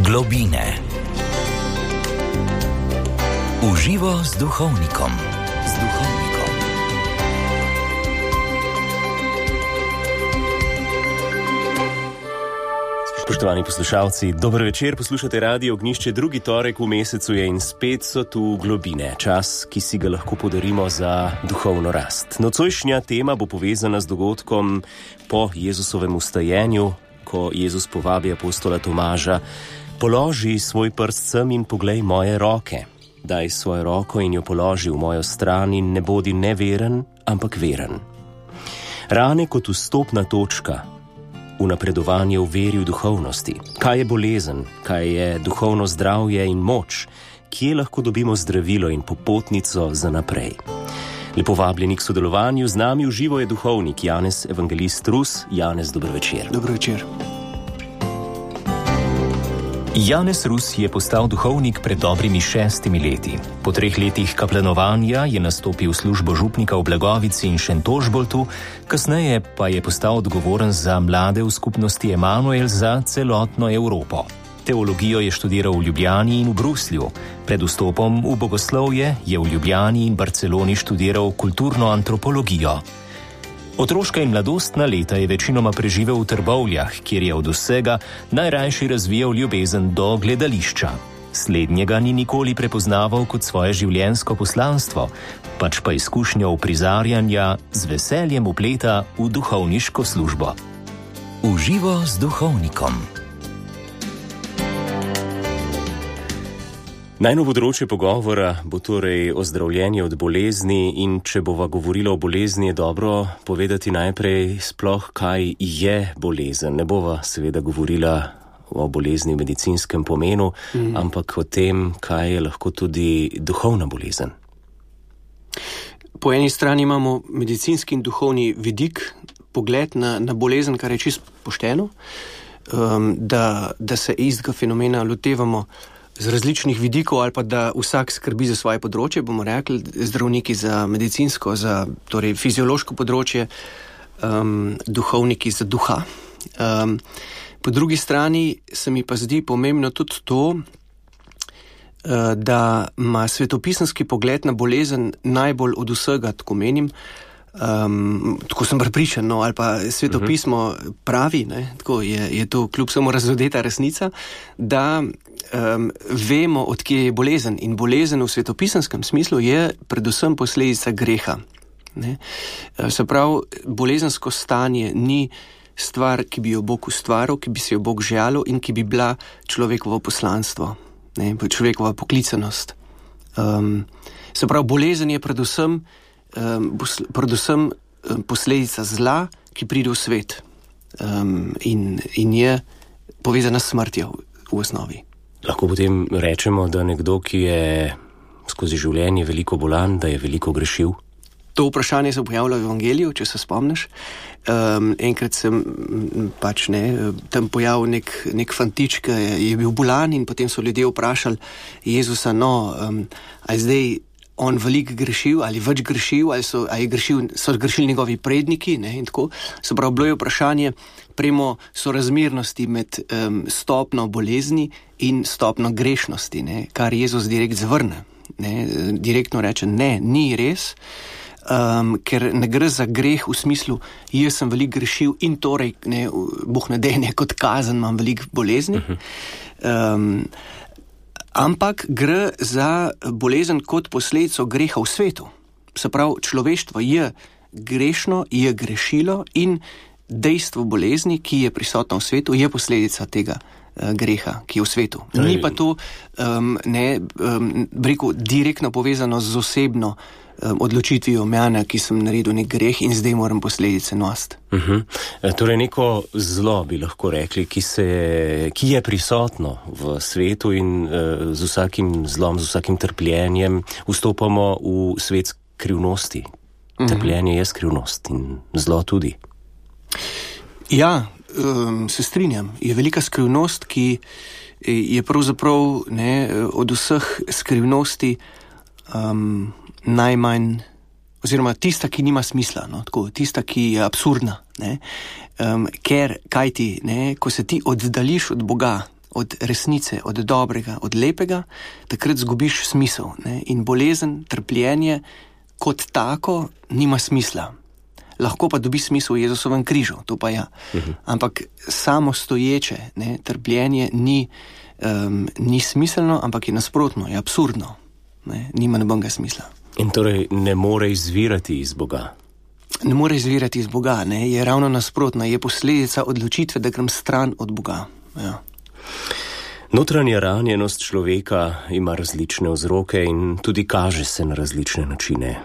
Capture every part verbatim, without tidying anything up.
Globine. Uživo z duhovnikom. Z duhovnikom. Spoštovani poslušalci, dober večer, poslušate Radio Ognjišče, drugi torek v mesecu je in spet so tu globine, čas, ki si ga lahko podarimo za duhovno rast. Nocojšnja tema bo povezana z dogodkom po Jezusovem vstajenju, ko Jezus povabi apostola Tomaža: položi svoj prst sem in poglej moje roke. Daj svojo roko in jo položi v mojo stran in ne bodi neveren, ampak veren. Rane kot vstopna točka v napredovanje v veri v duhovnosti. Kaj je bolezen, kaj je duhovno zdravje in moč, kje lahko dobimo zdravilo in popotnico za naprej. Lepo vabljeni k sodelovanju, z nami v živo je duhovnik Janez Evangelist Rus. Janez, dober večer. Dober večer. Janez Rus je postal duhovnik pred dobrimi šestimi leti. Po treh letih kaplanovanja je nastopil službo župnika v Blagovici in Šentožboltu, kasneje pa je postal odgovoren za mlade v skupnosti Emanuel za celotno Evropo. Teologijo je študiral v Ljubljani in v Bruslju. Pred vstopom v bogoslovje je v Ljubljani in Barceloni študiral kulturno antropologijo. Otroška in mladostna leta je večinoma preživel v Trbovljah, kjer je od vsega najrajši razvijal ljubezen do gledališča. Slednjega ni nikoli prepoznaval kot svoje življenjsko poslanstvo, pač pa izkušnjo uprizarjanja z veseljem vpleta v duhovniško službo. Uživo z duhovnikom. Najno področje pogovora bo torej ozdravljenje od bolezni, in če bova govorila o bolezni, je dobro povedati najprej sploh, kaj je bolezen. Ne bova seveda govorila o bolezni v medicinskem pomenu, mm. ampak o tem, kaj je lahko tudi duhovna bolezen. Po eni strani imamo medicinski in duhovni vidik, pogled na, na bolezen, kar je čisto pošteno, um, da, da se istega fenomena lotevamo z različnih vidikov, ali pa da vsak skrbi za svoje področje, bomo rekli, zdravniki za medicinsko, za torej fiziološko področje, um, duhovniki za duha. Um, po drugi strani se mi pa zdi pomembno tudi to, uh, da ima svetopisemski pogled na bolezen najbolj od vsega, tako menim, Um, tako sem prepričan, no, ali pa svetopismo uh-huh. pravi, ne, tako je, je to kljub samo razodeta resnica, da um, vemo, od kje je bolezen. In bolezen v svetopisenskem smislu je predvsem posledica greha. Ne. Se pravi, bolezensko stanje ni stvar, ki bi jo Bog ustvaril, ki bi se jo Bog želel in ki bi bila človekovo poslanstvo, ne, človekova poklicanost. Um, se pravi, bolezen je predvsem Um, predvsem um, posledica zla, ki pride v svet um, in, in je povezana s smrtjo v, v osnovi. Lahko potem rečemo, da nekdo, ki je skozi življenje veliko bolan, da je veliko grešil? To vprašanje se pojavlja v Evangeliju, če se spomniš. Um, enkrat sem pač ne, tam pojavil nek, nek fantič, ki je, je bil bolan, in potem so ljudje vprašali Jezusa, no, um, a zdaj on veliko grešil, ali več grešil, ali so, ali grešil, so grešili njegovi predniki, ne, in tako. Se pravi, bilo je vprašanje premo sorazmernosti med um, stopno bolezni in stopno grešnosti, ne, kar Jezus direkt zavrne. Ne, direktno reče, ne, ni res, um, ker ne gre za greh v smislu, jaz sem veliko grešil in torej, ne, Bog ne dej, kot kazen imam veliko bolezni. Um, Ampak gre za bolezen kot posledico greha v svetu. Se pravi, človeštvo je grešno, je grešilo in dejstvo bolezni, ki je prisotno v svetu, je posledica tega uh, greha, ki je v svetu. Ni pa to um, ne, um, rekel, direktno povezano z osebno um, odločitvijo mene, ki sem naredil nek greh in zdaj moram posledice nositi. Uh-huh. Torej neko zlo bi lahko rekli, ki, se, ki je prisotno v svetu, in uh, z vsakim zlom, z vsakim trpljenjem vstopamo v svet skrivnosti. Uh-huh. Trpljenje je skrivnost in zlo tudi. Ja, um, se strinjam. Je velika skrivnost, ki je pravzaprav ne, od vseh skrivnosti um, najmanj, oziroma tista, ki nima smisla, no, tako, tista, ki je absurdna, ne, um, ker, kaj ti, ne, ko se ti oddališ od Boga od resnice, od dobrega, od lepega, takrat zgubiš smisel. Ne? In bolezen, trpljenje kot tako nima smisla. Lahko pa dobi smisel v Jezusovem križu, to pa ja. Uh-huh. Ampak samo stoječe, ne, trpljenje ni, um, ni smiselno, ampak je nasprotno, je absurdno. Ne, nima nobenega smisla. In torej ne more izvirati iz Boga? Ne more izvirati iz Boga, ne, je ravno nasprotno, je posledica odločitve, da grem stran od Boga. Ja. Notranja ranjenost človeka ima različne vzroke in tudi kaže se na različne načine.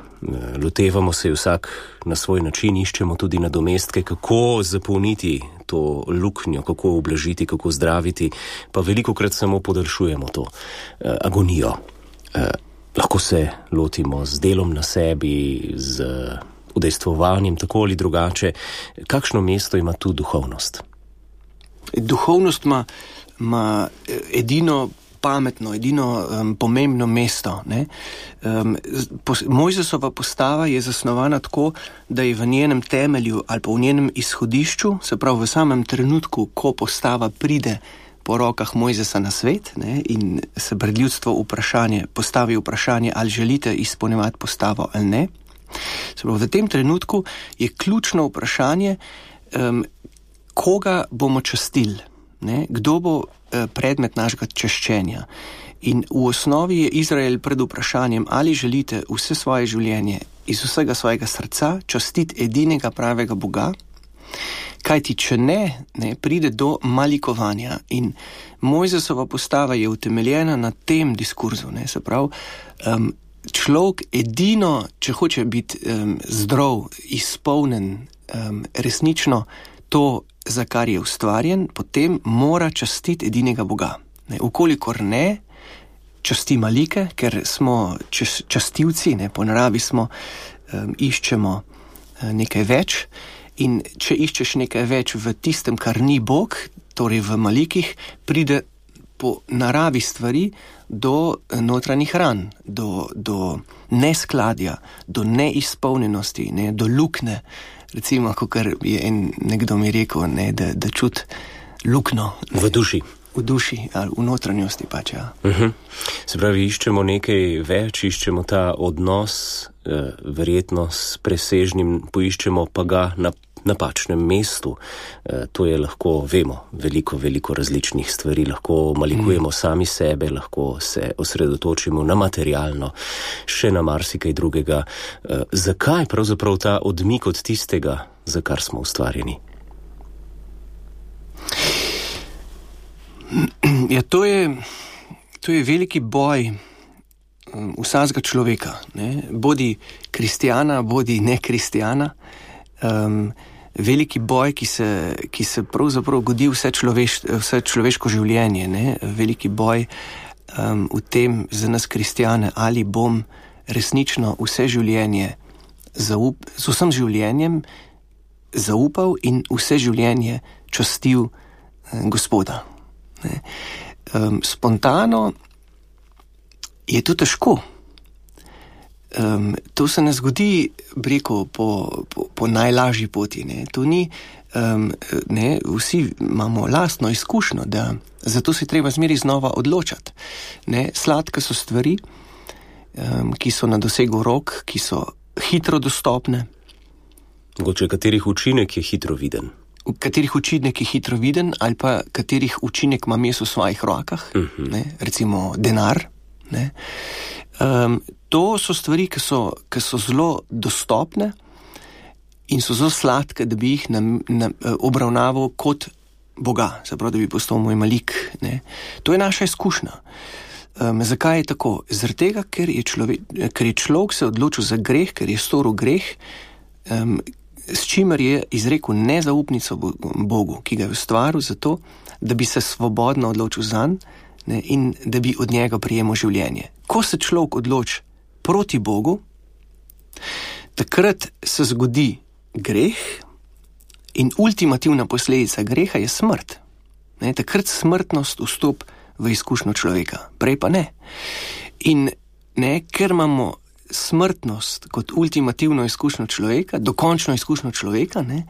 Lotevamo se vsak na svoj način, iščemo tudi nadomestke, kako zapolniti to luknjo, kako ublažiti, kako zdraviti, pa velikokrat samo podaljšujemo to eh, agonijo. Eh, lahko se lotimo z delom na sebi, z udejstvovanjem, tako ali drugače. Kakšno mesto ima tu duhovnost? Duhovnost ima ima edino pametno, edino um, pomembno mesto. Ne? Um, pos, Mojzesova postava je zasnovana tako, da je v njenem temelju ali pa v njenem izhodišču, se pravi v samem trenutku, ko postava pride po rokah Mojzesa na svet, ne, in se pred ljudstvo vprašanje, postavi vprašanje, ali želite izpolnjevati postavo ali ne. Se pravi, v tem trenutku je ključno vprašanje, um, koga bomo častili. Ne, kdo bo eh, predmet našega čaščenja. In v osnovi je Izrael pred vprašanjem, ali želite vse svoje življenje iz vsega svojega srca častiti edinega pravega Boga, kajti če ne, ne, pride do malikovanja. In Mojzesova postava je utemeljena na tem diskurzu. Ne, se pravi, um, človek edino, če hoče biti um, zdrav, izpolnen, um, resnično to, za kar je ustvarjen, potem mora častiti edinega Boga. Ne, ukolikor ne, časti malike, ker smo čas, častivci, ne, po naravi smo, um, iščemo uh, nekaj več, in če iščeš nekaj več v tistem, kar ni Bog, torej v malikih, pride po naravi stvari do notranjih ran, do, do neskladja, do neizpolnjenosti, ne, do lukne. Recimo, kakor je en, nekdo mi rekel, ne, da, da čut lukno. V duši. V duši ali v notranjosti pač, ja. Uh-huh. Se pravi, iščemo nekaj več, iščemo ta odnos, eh, verjetno s presežnim, poiščemo pa ga na napačnem mestu. Eh, to je lahko, vemo, veliko, veliko različnih stvari. Lahko malikujemo mm. sami sebe, lahko se osredotočimo na materialno, še na marsikaj drugega. Eh, zakaj pravzaprav ta odmik od tistega, za kar smo ustvarjeni? Ja, to je, to je veliki boj um, vsakega človeka. Ne? Bodi kristjana, bodi ne kristjana. Um, veliki boj, ki se, ki se pravzaprav godi vse, človeš, vse človeško življenje. Ne? Veliki boj um, v tem za nas kristjane, ali bom resnično vse življenje zaup, z vsem življenjem zaupal in vse življenje častil um, Gospoda. Ne? Um, spontano je to težko. Um, to se ne zgodi, breko, po, po, po najlažji poti. Ne? To ni, um, ne, vsi imamo lastno izkušnjo, da zato se treba zmeri znova odločati. Ne? Sladke so stvari, um, ki so na dosegu rok, ki so hitro dostopne. Mogoče katerih učinek je hitro viden? Katerih učinek je hitro viden, ali pa katerih učinek imam jaz v svojih rokah, uh-huh. ne? Recimo denar. Ne? Um, to so stvari, ki so, ki so zelo dostopne in so zelo sladke, da bi jih na, na, obravnaval kot Boga, se pravi, da bi postal moj malik. Ne? To je naša izkušnja. Um, zakaj je tako? Zaradi tega, ker je, človek, ker je človek se odločil za greh, ker je storil greh, um, s čimer je izrekel nezaupnico Bogu, ki ga je ustvaril zato, da bi se svobodno odločil zanj, ne, in da bi od njega prijemal življenje. Ko se človek odloči proti Bogu, takrat se zgodi greh in ultimativna posledica greha je smrt. Ne, takrat smrtnost vstop v izkušnjo človeka, prej pa ne. In ne, ker imamo smrtnost kot ultimativno izkušnjo človeka, dokončno izkušnjo človeka, ne,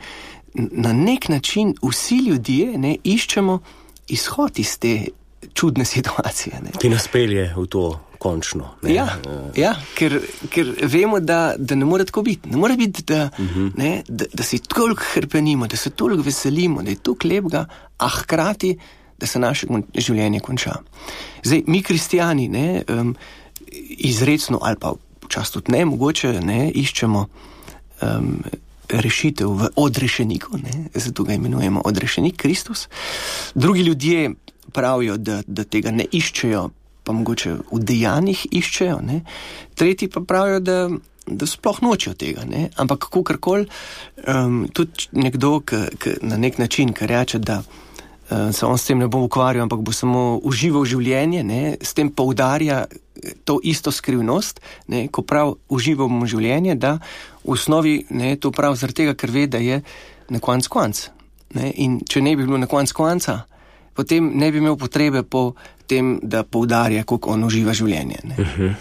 na nek način vsi ljudje ne, iščemo izhod iz te čudne situacije. Ne. Ki nas pelje v to končno. Ne? Ja, ja ker, ker vemo, da, da ne more tako biti. Ne more biti, da, uh-huh. ne, da, da si toliko hrpenimo, da se toliko veselimo, da je toliko lepega, a hkrati, da se naše življenje konča. Zdaj, mi kristijani, ne, um, izrecno ali pa včasih tudi ne, mogoče ne, iščemo um, rešitev v odrešeniku, ne, zato ga imenujemo odrešenik, Kristus. Drugi ljudje pravijo, da, da tega ne iščejo, pa mogoče v dejanjih iščejo, ne. Tretji pa pravijo, da, da sploh nočejo tega, ne. Ampak kakorkoli, um, tudi nekdo, ki, ki na nek način, ki reče, da uh, se on s tem ne bo ukvarjal, ampak bo samo užival življenje, ne, s tem poudarja to isto skrivnost, ne, ko prav uživamo življenje, da v osnovi ne, to prav zaradi tega, ker ve, da je na konc konc. Ne. In če ne bi bilo na konc konca, potem ne bi imel potrebe po tem, da poudarja, kako on uživa življenje. Ne. Uh-huh.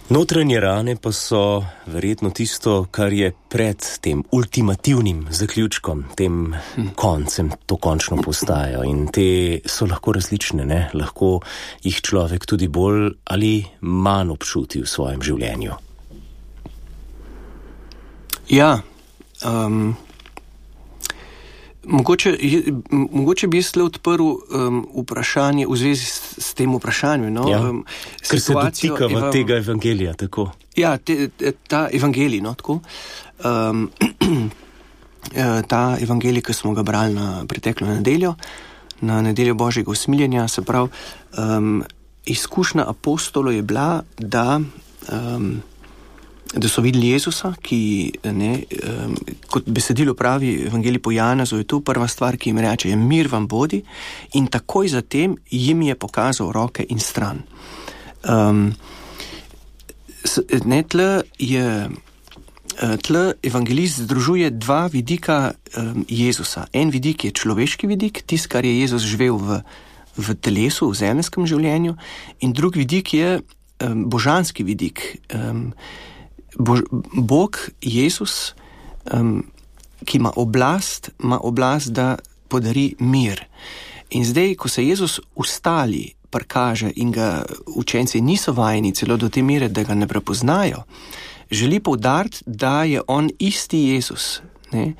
Notranje rane pa so verjetno tisto, kar je pred tem ultimativnim zaključkom, tem hm. koncem, to končno postajo. In te so lahko različne, ne? Lahko jih človek tudi bolj ali manj občuti v svojem življenju. Ja, um, Mogoče, mogoče bi jaz le odprl um, vprašanje v zvezi s, s tem vprašanjem. No? Ja, um, ker se dotika eva, tega evangelija, tako. Ja, te, ta evangelij, no, tako. Um, ta evangelij, ki smo ga brali na preteklo nedeljo, na nedeljo Božjega usmiljenja, se pravi, um, izkušnja apostolov je bila, da um, da so videli Jezusa, ki, ne, um, kot besedilo pravi evangelij po Janezu, je to prva stvar, ki jim reče, je mir vam bodi, in takoj zatem jim je pokazal roke in stran. Um, ne, tle je, tle evangelist združuje dva vidika um, Jezusa. En vidik je človeški vidik, tist, kar je Jezus živel v, v telesu, v zemljskem življenju, in drug vidik je um, božanski vidik. Um, Bož, Bog, Jezus, um, ki ima oblast, ima oblast, da podari mir. In zdaj, ko se Jezus ustali, prikaže in ga učenci niso vajeni celo do te mere, da ga ne prepoznajo, želi poudariti, da je on isti Jezus, ne?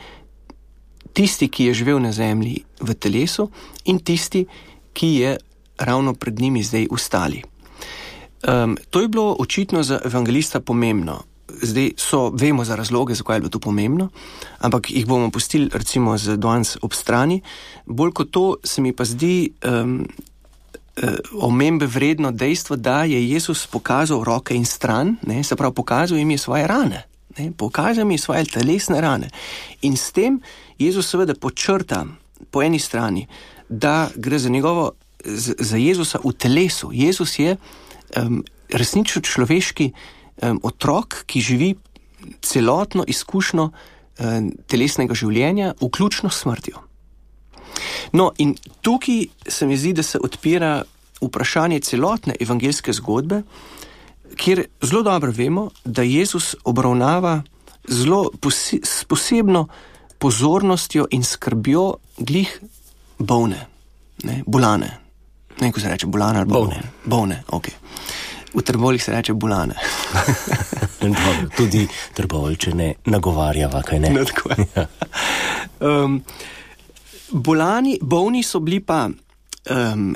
Tisti, ki je živel na zemlji v telesu, in tisti, ki je ravno pred njimi zdaj ustali. Um, to je bilo očitno za evangelista pomembno. Zdaj so, vemo za razloge, zakaj je bilo to pomembno, ampak jih bomo pustili recimo z danes ob strani. Bolj kot to se mi pa zdi um, uh, omembe vredno dejstvo, da je Jezus pokazal roke in stran, ne, se pravi, pokazal jim je svoje rane, ne, pokazal jim je svoje telesne rane. In s tem Jezus seveda počrta po eni strani, da gre za njegovo, za, za Jezusa v telesu. Jezus je um, resnično človeški Um, otrok, ki živi celotno izkušnjo um, telesnega življenja, vključno s smrtjo. No, in tukaj se mi zdi, da se odpira vprašanje celotne evangeljske zgodbe, kjer zelo dobro vemo, da Jezus obravnava zelo posi- s posebno pozornostjo in skrbjo glih bolne, ne, bolane. Ne, ko se reče bolane ali bolne. Bolne, ok. V Trboveljih se reče bolane. Tudi Trboveljčane nagovarjava, kaj ne? No, tako je. Ja. Um, bolani, bolni so bili pa um,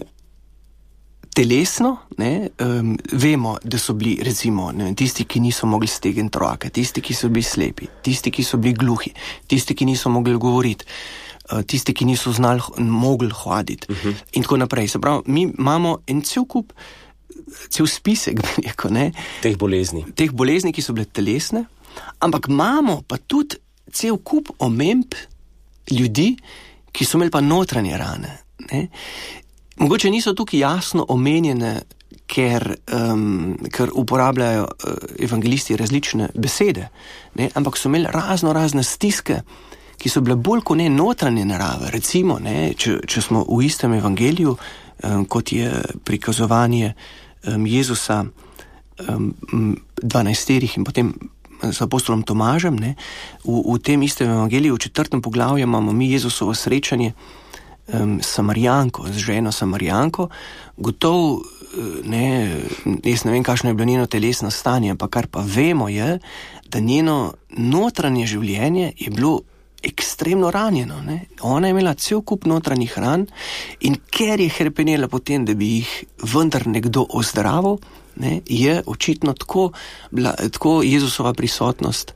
telesno, ne, um, vemo, da so bili recimo ne, tisti, ki niso mogli stegniti roke, tisti, ki so bili slepi, tisti, ki so bili gluhi, tisti, ki niso mogli govoriti, uh, tisti, ki niso znali, mogli hoditi uh-huh. in tako naprej. Se pravi, mi imamo en cel kup cel spisek, neko, ne, teh bolezni. Teh bolezni, ki so bile telesne, ampak imamo pa tudi cel kup omemb ljudi, ki so imeli pa notranje rane. Ne. Mogoče niso tukaj jasno omenjene, ker, um, ker uporabljajo uh, evangelisti različne besede, ne, ampak so imeli razno razne stiske, ki so bile bolj kot ne notranje narave. Recimo, ne, če, če smo v istem evangeliju, um, kot je prikazovanje um, Jezusa um, dvanajsterih in potem z apostolom Tomažem, ne, v, v tem istem evangeliju, v četrtem poglavju imamo mi Jezusovo srečanje um, Samarijanko, z ženo Samarijanko, gotovo, ne, jaz ne vem, kakšno je bilo njeno telesno stanje, ampak kar pa vemo je, da njeno notranje življenje je bilo ekstremno ranjeno. Ne. Ona je imela cel kup notranjih ran in ker je hrepenela potem, da bi jih vendar nekdo ozdravil, ne, je očitno tako, bila, tako Jezusova prisotnost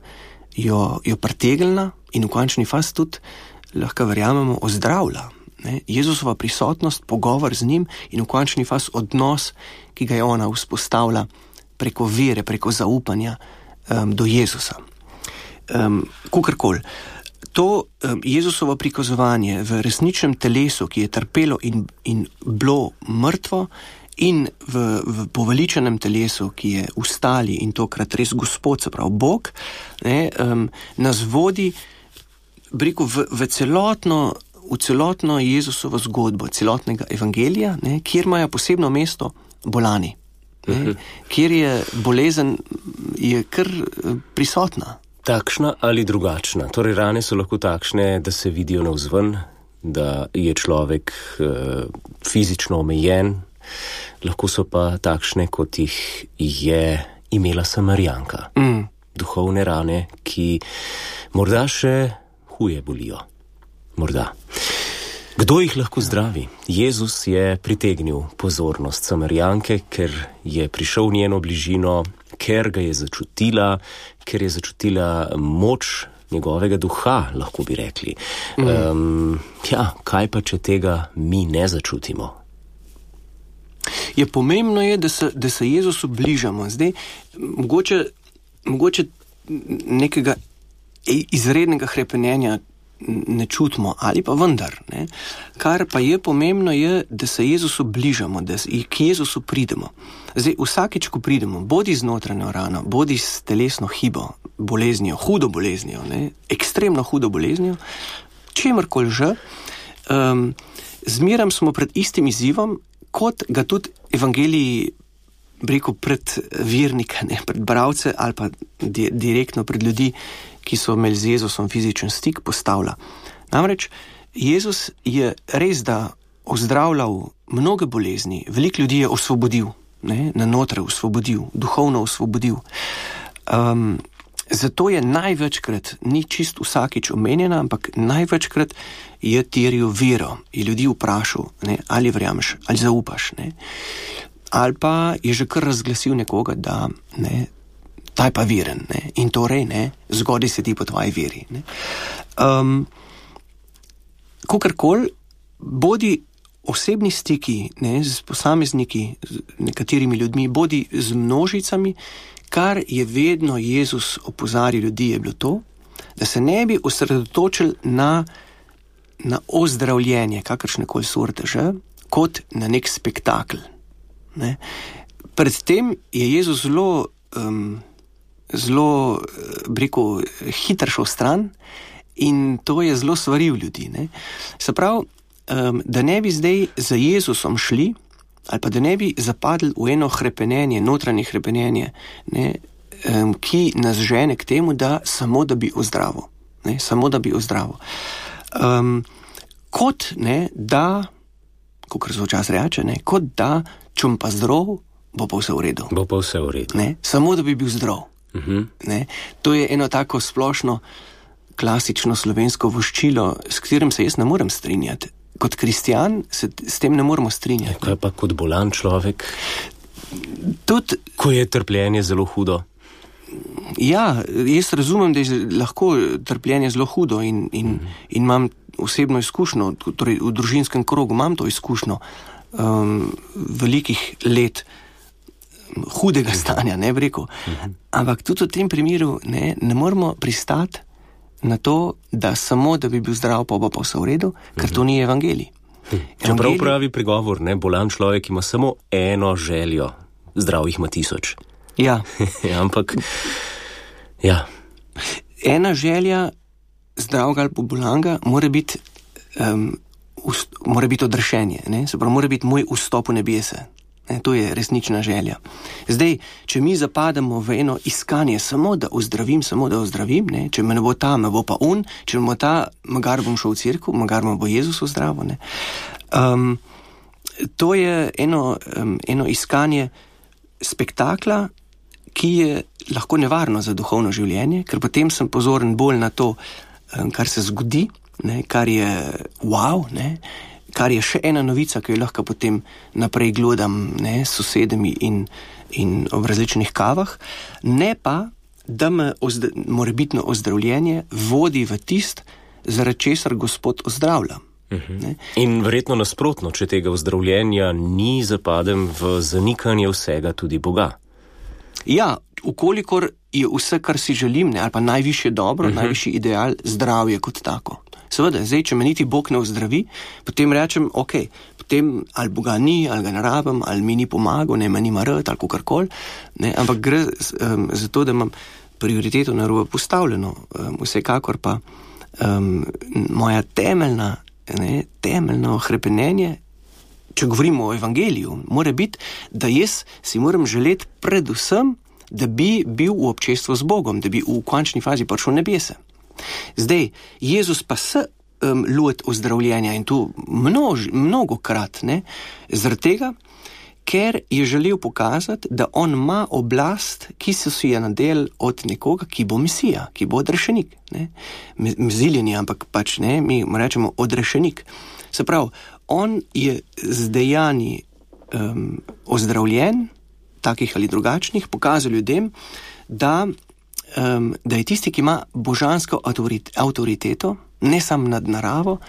jo, jo pritegnila in v končni fazi tudi, lahko verjamemo, ozdravlja. Ne. Jezusova prisotnost, pogovor z njim in v končni fazi odnos, ki ga je ona vzpostavila preko vere, preko zaupanja um, do Jezusa. Um, Kukorkoli. To um, Jezusovo prikazovanje v resničnem telesu, ki je trpelo in, in bilo mrtvo, in v, v poveličenem telesu, ki je ustali in tokrat res Gospod, se pravi Bog, ne, um, nas vodi rekel, v, v, celotno, v celotno Jezusovo zgodbo, celotnega evangelija, ne, kjer imajo posebno mesto bolani, ne, uh-huh. kjer je bolezen je kar prisotna. Takšna ali drugačna? Torej, rane so lahko takšne, da se vidijo navzven, da je človek uh, fizično omejen, lahko so pa takšne, kot jih je imela Samarijanka. Mm. Duhovne rane, ki morda še huje bolijo. Morda. Kdo jih lahko zdravi? Jezus je pritegnil pozornost Samarijanke, ker je prišel v njeno bližino, ker ga je začutila, ker je začutila moč njegovega duha, lahko bi rekli. Mm. Um, ja, kaj pa, če tega mi ne začutimo? Je pomembno je, da se, da se Jezusu bližamo. Zdaj, mogoče, mogoče nekega izrednega hrepenenja ne čutimo, ali pa vendar. Ne. Kar pa je pomembno je, da se Jezusu bližamo, da k Jezusu pridemo. Zdaj, vsakič, ko pridemo, bodi z notranjo rano, bodi s telesno hibo, boleznijo, hudo boleznijo, ne, ekstremno hudo boleznijo, čemrkoli že, um, zmeram smo pred istim izzivom, kot ga tudi evangeliji rekel pred vernike, ne, pred bralce ali pa di- direktno pred ljudi, ki so imeli z Jezusom fizičen stik, postavlja. Namreč Jezus je res da ozdravljal mnoge bolezni, veliko ljudi je osvobodil, ne, na notre osvobodil, duhovno osvobodil. Um, zato je največkrat, ni čist vsakič omenjena, ampak največkrat je terjal vero, je ljudi vprašal, ne, ali verjameš, ali zaupaš, ne. Ali pa je že kar razglasil nekoga, da ne, ta je pa veren, ne, in torej, ne, zgodi se ti po tvoji veri. Ne. Um, Kakorkoli, bodi osebni stiki, ne, z posamezniki, z nekaterimi ljudmi, bodi z množicami, kar je vedno Jezus opozarjal ljudi, je bilo to, da se ne bi osredotočili na, na ozdravljenje, kakršnekoli sorte že, kot na nek spektakel. Ne. Predtem je Jezus zelo, um, zelo, rekel, hitro šel stran in to je zelo svaril ljudi. Ne. Se pravi, um, da ne bi zdaj za Jezusom šli, ali pa da ne bi zapadli v eno hrepenenje, notranje hrepenenje, ne, um, ki nas žene k temu, da samo da bi ozdravil. Ne, samo da bi ozdravil. Um, kot, ne, da, kakor se včasih reče, ne, kot da, čum pa zdrav, bo pa vse v redu. Bo pa vse v redu. Ne, samo da bi bil zdrav. Uh-huh. Ne, to je eno tako splošno, klasično slovensko voščilo, s katerim se jaz ne morem strinjati. Kot kristjan se s tem ne moremo strinjati. Kaj pa kot bolan človek? Tud, ko je trpljenje zelo hudo? Ja, jaz razumem, da je lahko trpljenje zelo hudo in, in, mm. in imam osebno izkušnjo, torej v družinskem krogu imam to izkušnjo um, velikih let hudega stanja, ne bi rekel. Mm-hmm. Ampak tudi v tem primeru ne, ne moramo pristati na to, da samo, da bi bil zdrav, pa bo pa vse v redu, ker to ni evangelij. Čeprav pravi pregovor, ne, bolan človek ima samo eno željo, zdrav jih ima tisoč. Ja. Ampak, ja. Ena želja zdravega ali bolanga mora biti, um, ust, mora biti odrešenje, ne, se pravi, mora biti moj vstop v nebese. Ne, to je resnična želja. Zdaj, če mi zapademo v eno iskanje samo, da ozdravim, samo da ozdravim, ne, če me ne bo ta, me bo pa on, če me bo ta, magar bom šel v cerkev, magar me bo Jezus ozdravil. Ne. Um, to je eno, um, eno iskanje spektakla, ki je lahko nevarno za duhovno življenje, ker potem sem pozoren bolj na to, um, kar se zgodi, ne, kar je wow, ne, kar je še ena novica, ki jo lahko potem naprej glodam, ne, s sosedami in, in ob različnih kavah, ne pa, da me ozd- morebitno ozdravljenje vodi v tist, zaradi česar Gospod ozdravlja. Uh-huh. In verjetno nasprotno, če tega ozdravljenja ni, zapadem v zanikanje vsega, tudi Boga. Ja, ukolikor je vse, kar si želim, ne, ali pa najvišje dobro, uh-huh. najvišji ideal, zdravje kot tako. Seveda, zdaj, če me niti Bog ne ozdravi, potem rečem, ok, potem ali Boga ni, ali ga ne rabim, ali mi ni pomagal, ne, me nima rad, ali kakorkoli, ne, ampak gre um, za to, da imam prioriteto narobe postavljeno, um, vsekakor pa um, moja temeljna, ne, temeljno hrepenenje, če govorimo o evangeliju, mora biti, da jaz si moram želeti predvsem, da bi bil v občestvu z Bogom, da bi v končni fazi prišel v nebese. Zdaj, Jezus pa se um, loti ozdravljenja in tu množ, mnogokrat, ne, zaradi tega, ker je želel pokazati, da on ima oblast, ki se si je nadel od nekoga, ki bo mesija, ki bo odrešenik. Ne. Meziljen je, ampak pač ne, mi rečemo odrešenik. Se pravi, on je z dejanji um, ozdravljen, takih ali drugačnih, pokazal ljudem, da Um, da je tisti, ki ima božansko avtoriteto, ne samo nad naravo,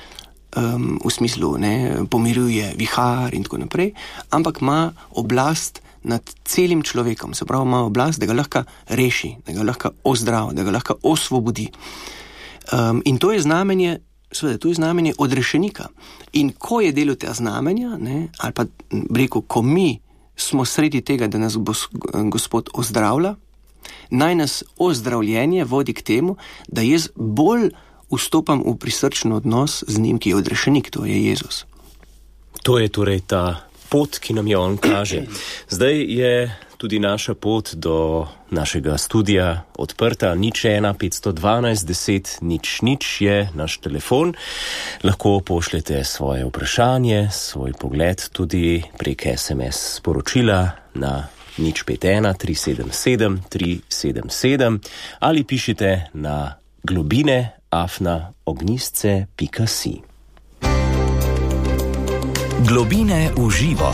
um, v smislu, ne, pomiruje vihar in tako naprej, ampak ima oblast nad celim človekom, se pravi, ima oblast, da ga lahko reši, da ga lahko ozdravi, da ga lahko osvobodi. Um, in to je znamenje, seveda, to je znamenje odrešenika. In ko je delo tega znamenja, ne, ali pa rekel, ko mi smo sredi tega, da nas bo Gospod ozdravlja, naj nas ozdravljenje vodi k temu, da jaz bolj vstopam v prisrčen odnos z njim, ki je odrešenik, to je Jezus. To je torej ta pot, ki nam jo on kaže. Zdaj je tudi naša pot do našega studia odprta. Nič ena, petsto dvanajst, deset, nič, nič je naš telefon. Lahko pošljete svoje vprašanje, svoj pogled tudi prek es em es sporočila na nič pet ena, tri sedem sedem, tri sedem sedem ali pišite na globine afna ognjisce pika si. Globine v živo.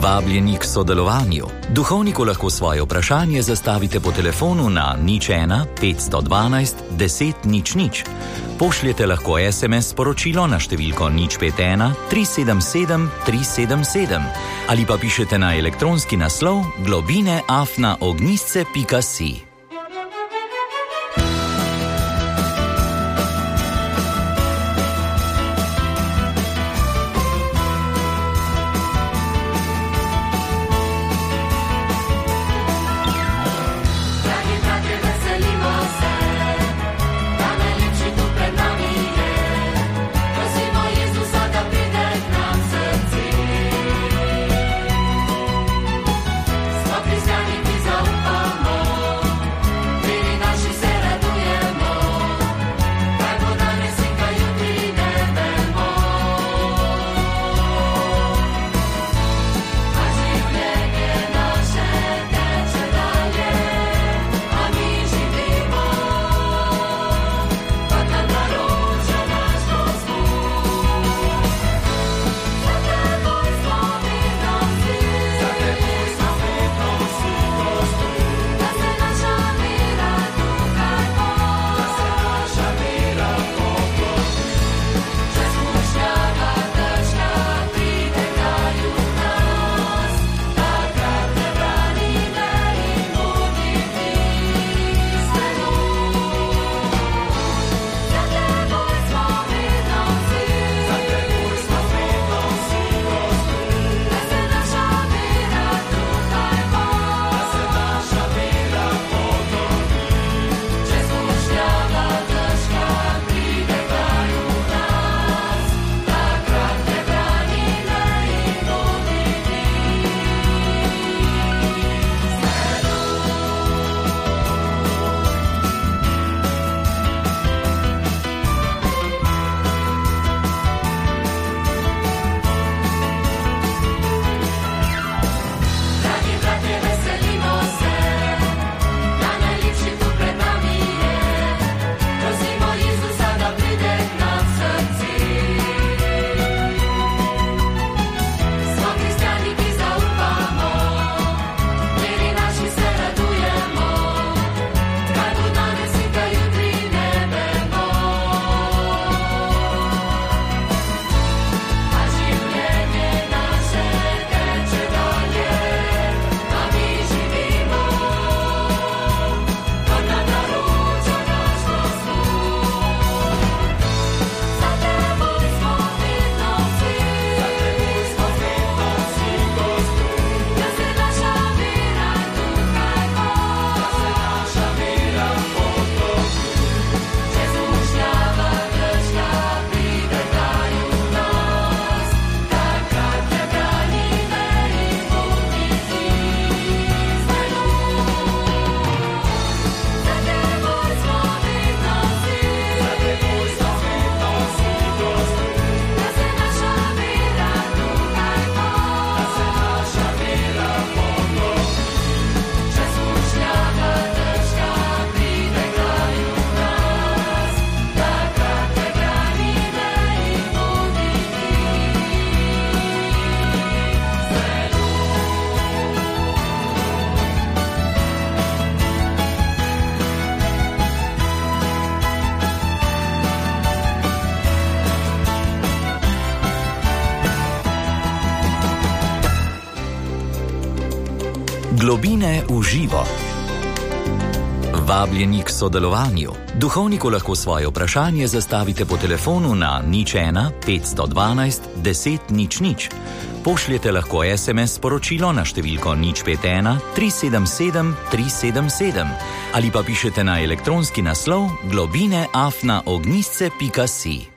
Vabljeni k sodelovanju. Duhovniku lahko svoje vprašanje zastavite po telefonu na nič ena, petsto dvanajst, deset, nič, nič. Pošljete lahko es em es sporočilo na številko nič pet ena, tri sedem sedem, tri sedem sedem ali pa pišete na elektronski naslov globine afna ognjisce pika si. Cristiani ti zaufamo. Globine v živo. Vabljeni k sodelovanju. Duhovniku lahko svoje vprašanje zastavite po telefonu na nič ena petsto dvanajst deset nič nič. Pošljete lahko es em es sporočilo na številko nič pet ena tri sedem sedem tri sedem sedem ali pa pišete na elektronski naslov globine afna ognjisce pika si.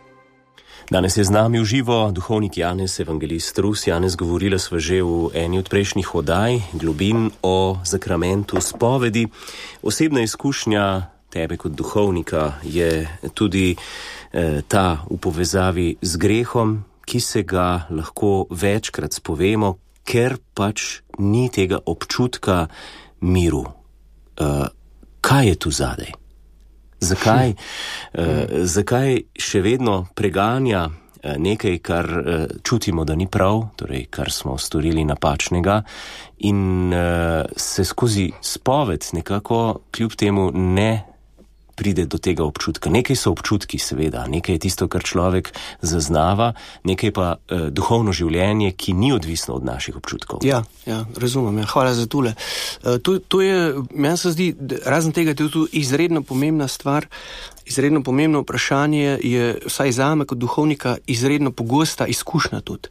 Danes je z nami v živo duhovnik Janez, evangelist Rus. Janez, govorila sva že v eni od prejšnjih oddaj Globin o zakramentu spovedi. Osebna izkušnja tebe kot duhovnika je tudi eh, ta v povezavi z grehom, ki se ga lahko večkrat spovemo, ker pač ni tega občutka miru. Uh, kaj je tu zadaj? Zakaj, uh, zakaj še vedno preganja uh, nekaj, kar uh, čutimo, da ni prav, torej kar smo storili napačnega, in uh, se skozi spoved nekako kljub temu ne pride do tega občutka. Nekaj so občutki, seveda, nekaj je tisto, kar človek zaznava, nekaj pa uh, duhovno življenje, ki ni odvisno od naših občutkov. Ja, ja, razumem. Ja. Hvala za tole. Uh, to, to je, meni se zdi, razen tega, to je tu izredno pomembna stvar, izredno pomembno vprašanje je, vsaj zame kot duhovnika, izredno pogosta izkušnja tudi.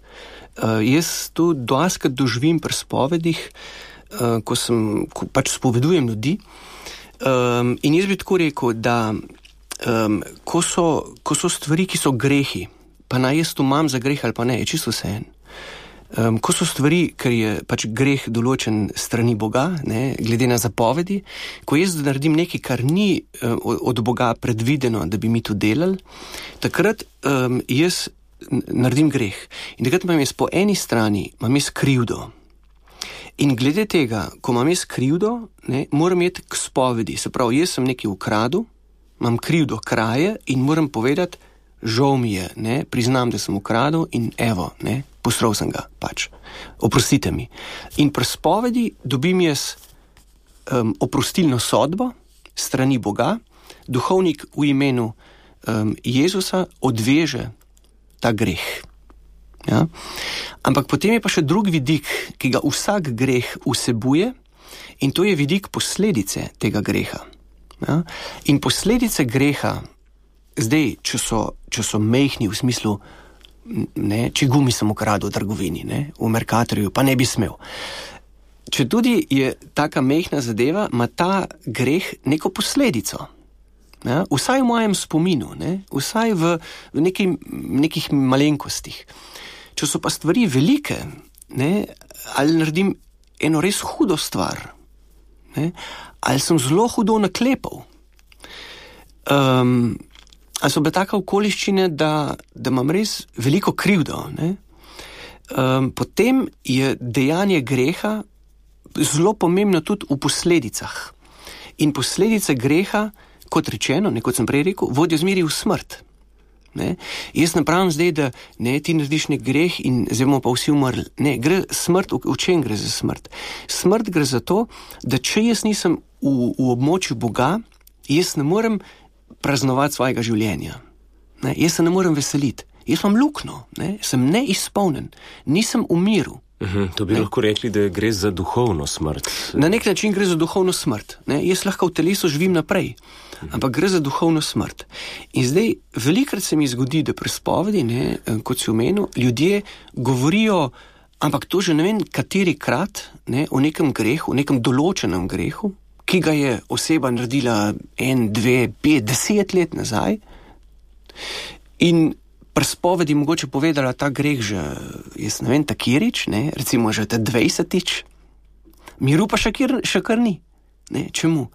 Uh, jaz to doskrat doživim pri spovedih, uh, ko sem, ko pač spovedujem ljudi. Um, in jaz bi tako rekel, da um, ko, so, ko so stvari, ki so grehi, pa naj jaz to imam za greh ali pa ne, je čisto vseeno. Um, ko so stvari, ker je pač greh določen strani Boga, ne, glede na zapovedi, ko jaz naredim nekaj, kar ni um, od Boga predvideno, da bi mi to delali, takrat um, jaz naredim greh. In takrat imam jaz po eni strani, imam jaz krivdo. In glede tega, ko imam jaz krivdo, ne, moram iti k spovedi. Se pravi, jaz sem nekaj ukradel, imam krivdo kraje in moram povedati, žal mi je, ne, priznam, da sem ukradel in evo, ne, posral sem ga, pač. Oprostite mi. In pri spovedi dobim jaz um, oprostilno sodbo strani Boga, duhovnik v imenu um, Jezusa odveže ta greh. Ja? Ampak potem je pa še drug vidik, ki ga vsak greh vsebuje, in to je vidik posledice tega greha. Ja? In posledice greha, zdaj, če so, če so mehni v smislu, ne, če gumi sem ukradel v trgovini, ne, v Mercatorju, pa ne bi smel. Če tudi je taka mehna zadeva, ima ta greh neko posledico. Ja? Vsaj v mojem spominu, ne? Vsaj v, v neki, nekih malenkostih. Če so pa stvari velike, ne, ali naredim eno res hudo stvar, ne, ali sem zelo hudo naklepal, um, ali so bile take okoliščine, da, da imam res veliko krivdo, ne, um, potem je dejanje greha zelo pomembno tudi v posledicah. In posledice greha, kot rečeno, ne, kot sem prej rekel, vodijo zmeri v smrt. Ne? Jaz ne pravim zdaj, da ne, ti narediš nek greh in zdaj bomo pa vsi umrli. Ne, gre smrt, v, v čem gre za smrt? Smrt gre za to, da če jaz nisem v, v območju Boga, jaz ne morem praznovati svojega življenja. Ne? Jaz se ne morem veseliti. Jaz imam luknjo, ne? Sem neizpolnen, nisem v miru. Uhum, to bi ne? lahko rekli, da gre za duhovno smrt. Na nek način gre za duhovno smrt. Ne? Jaz lahko v telesu živim naprej, ampak gre za duhovno smrt. In zdaj, velikrat se mi zgodi, da pri spovedi, ne, kot si omenil, ljudje govorijo, ampak to že ne vem kateri krat, ne, o nekem grehu, o nekem določenem grehu, ki ga je oseba naredila en, dve, pet, deset let nazaj, in pri spovedi mogoče povedala ta greh že, jaz ne vem, takirič, ne, recimo že te dvajsetič, miru pa še kar, še kar ni. Ne, čemu?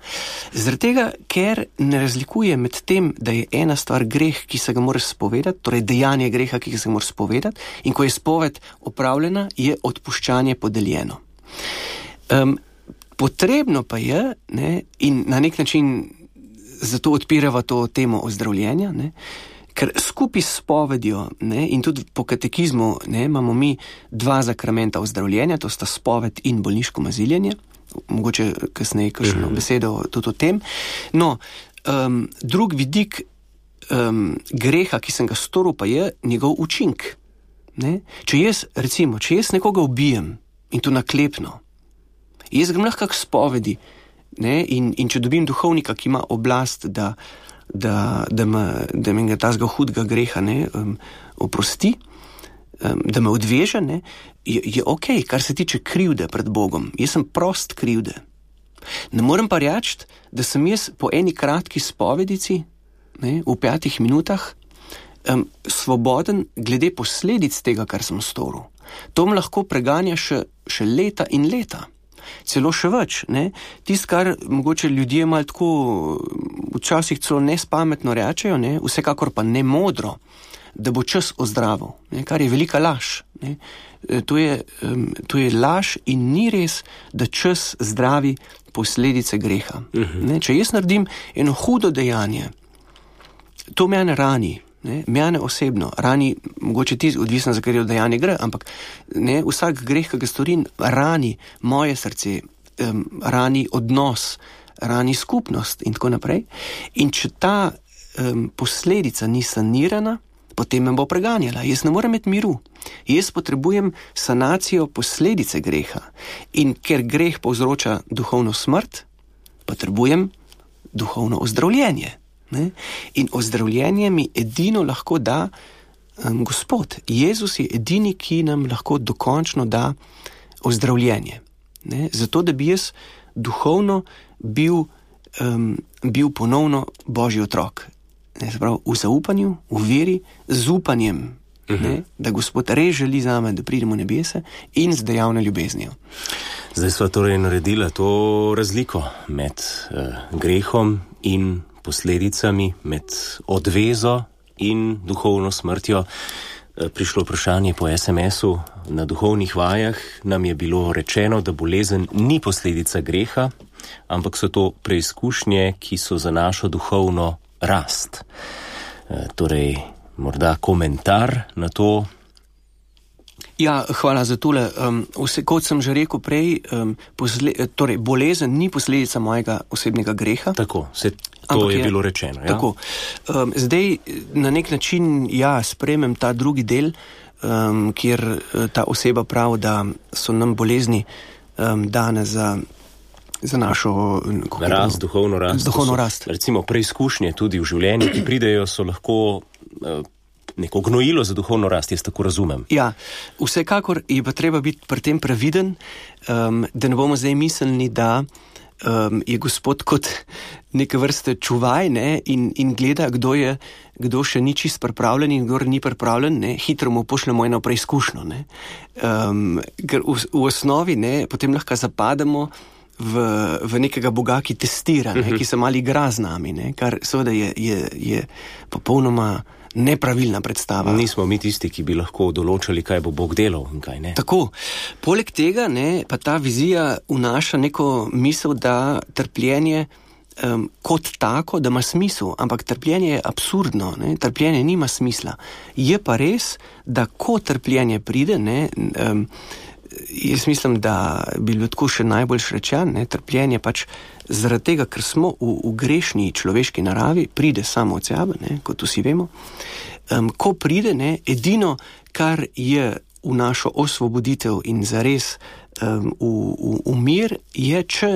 Zaradi tega, ker ne razlikuje med tem, da je ena stvar greh, ki se ga moraš spovedati, torej dejanje greha, ki se ga moraš spovedati, in ko je spoved opravljena, je odpuščanje podeljeno. Um, potrebno pa je, ne, in na nek način zato odpirava to temo ozdravljenja, ne, ker skupaj s spovedjo, ne, in tudi po katekizmu, ne, imamo mi dva zakramenta ozdravljenja, to sta spoved in bolniško maziljenje, mogoče kasneje kakšno mm-hmm. besedo tudi o tem. No, um, drug vidik um, greha, ki sem ga storil, pa je njegov učink. Ne? Če jaz, recimo, če jaz nekoga ubijem in to naklepno, Jaz grem lahko k spovedi, ne, in, in če dobim duhovnika, ki ima oblast, da, da, da, me, da me tazga hudega greha, ne, um, oprosti, um, da me odveže, ne, je, je ok, kar se tiče krivde pred Bogom. Jaz sem prost krivde. Ne morem pa reči, da sem jaz po eni kratki spovedici, ne, v petih minutah, um, svoboden glede posledic tega, kar sem storil. To me lahko preganja še, še leta in leta. Celo še več, ne. Tist, kar mogoče ljudje malo tako včasih celo nespametno rečejo, ne, vsekakor pa ne modro, da bo čas ozdravil, ne, kar je velika laž, ne. To je, um, to je laž in ni res, da čas zdravi posledice greha. Uh-huh. Ne, če jaz naredim eno hudo dejanje, to mene rani, ne, mene osebno rani, mogoče ti odvisno, za katero dejanje gre, ampak ne, vsak greh, ki ga storim, rani moje srce, um, rani odnos, rani skupnost in tako naprej. In če ta um, posledica ni sanirana, potem me bo preganjala. Jaz ne morem imeti miru. Jaz potrebujem sanacijo posledice greha. In ker greh povzroča duhovno smrt, potrebujem duhovno ozdravljenje. Ne? In ozdravljenje mi edino lahko da um, Gospod. Jezus je edini, ki nam lahko dokončno da ozdravljenje. Ne? Zato, da bi jaz duhovno bil, um, bil ponovno Božji otrok. Ne, pravi, v zaupanju, v veri, z upanjem, uh-huh. ne, da Gospod res želi zame, da pridem v nebese in z dejavno ljubeznijo. Zdaj sva torej naredila to razliko med uh, grehom in posledicami, med odvezo in duhovno smrtjo. Uh, prišlo vprašanje po es em esu, na duhovnih vajah nam je bilo rečeno, da bolezen ni posledica greha, ampak so to preizkušnje, ki so za našo duhovno rast. E, torej, morda komentar na to? Ja, hvala za tole. Um, vse, kot sem že rekel prej, um, posle, torej, bolezen ni posledica mojega osebnega greha. Tako, se to je, je bilo rečeno. Ja? Tako. Um, zdaj, na nek način, ja, sprejmem ta drugi del, um, kjer ta oseba pravi, da so nam bolezni um, dane za za našo rast, duhovno rast. Duhovno rast. Recimo preizkušnje tudi v življenju, ki pridejo, so lahko uh, neko gnojilo za duhovno rast, jaz tako razumem. Ja, vsekakor je pa treba biti pri tem previden, um, da ne bomo zdaj mislili, da um, je Gospod kot neke vrste čuvaj, ne, in, in gleda, kdo je, kdo še ni čist pripravljen in kdo ni pripravljen, ne, hitro mu pošljemo eno preizkušnjo, ne. Um, ker v, v osnovi, ne, potem lahko zapademo V, v nekega Boga, ki testira, ne, uh-huh. ki se malo igra z nami, ne, kar seveda je, je, je popolnoma nepravilna predstava. Nismo mi tisti, ki bi lahko določali, kaj bo Bog delal in kaj ne. Tako. Poleg tega, ne, pa ta vizija vnaša neko misel, da trpljenje um, kot tako, da ima smisel, ampak trpljenje je absurdno, ne, trpljenje nima smisla. Je pa res, da ko trpljenje pride, ne, um, jaz mislim, da bi bilo tako še najbolj rečeno, ne, trpljenje pač zaradi tega, ker smo v, v grešni človeški naravi, pride samo od sebe, ne, kot vsi vemo. Um, ko pride, ne, edino, kar je v našo osvoboditev in zares um, v, v, v mir, je, če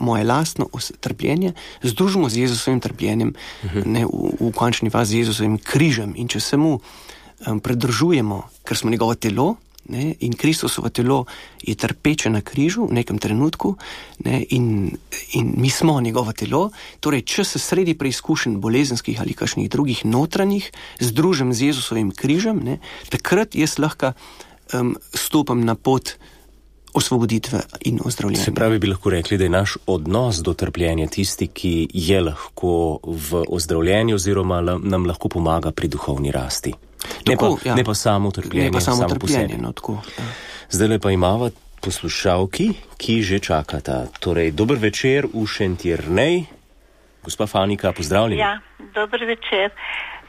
moje lastno trpljenje združimo z Jezusovim trpljenjem, uh-huh. ne, v, v končni fazi z Jezusovim križem, in če se mu um, pridružujemo, ker smo njegovo telo, ne, in Kristusovo telo je trpeče na križu v nekem trenutku, ne, in, in mi smo njegovo telo, torej če se sredi preizkušenj bolezenskih ali kakšnih drugih notranjih združim z Jezusovim križem, ne, takrat jaz lahko um, stopam na pot osvoboditve in ozdravljenja. Se pravi, bi lahko rekli, da je naš odnos do trpljenja tisti, ki je lahko v ozdravljenju oziroma nam lahko pomaga pri duhovni rasti. Ne, Tako, pa, ja. ne pa samo trpljenje, ne pa samo samo trpljenje, no, tako, ja. Zdaj pa imamo poslušalki, ki že čakata. Torej, dober večer v Šentjernej. Gospa Fanika, pozdravljeni. Ja, dober večer.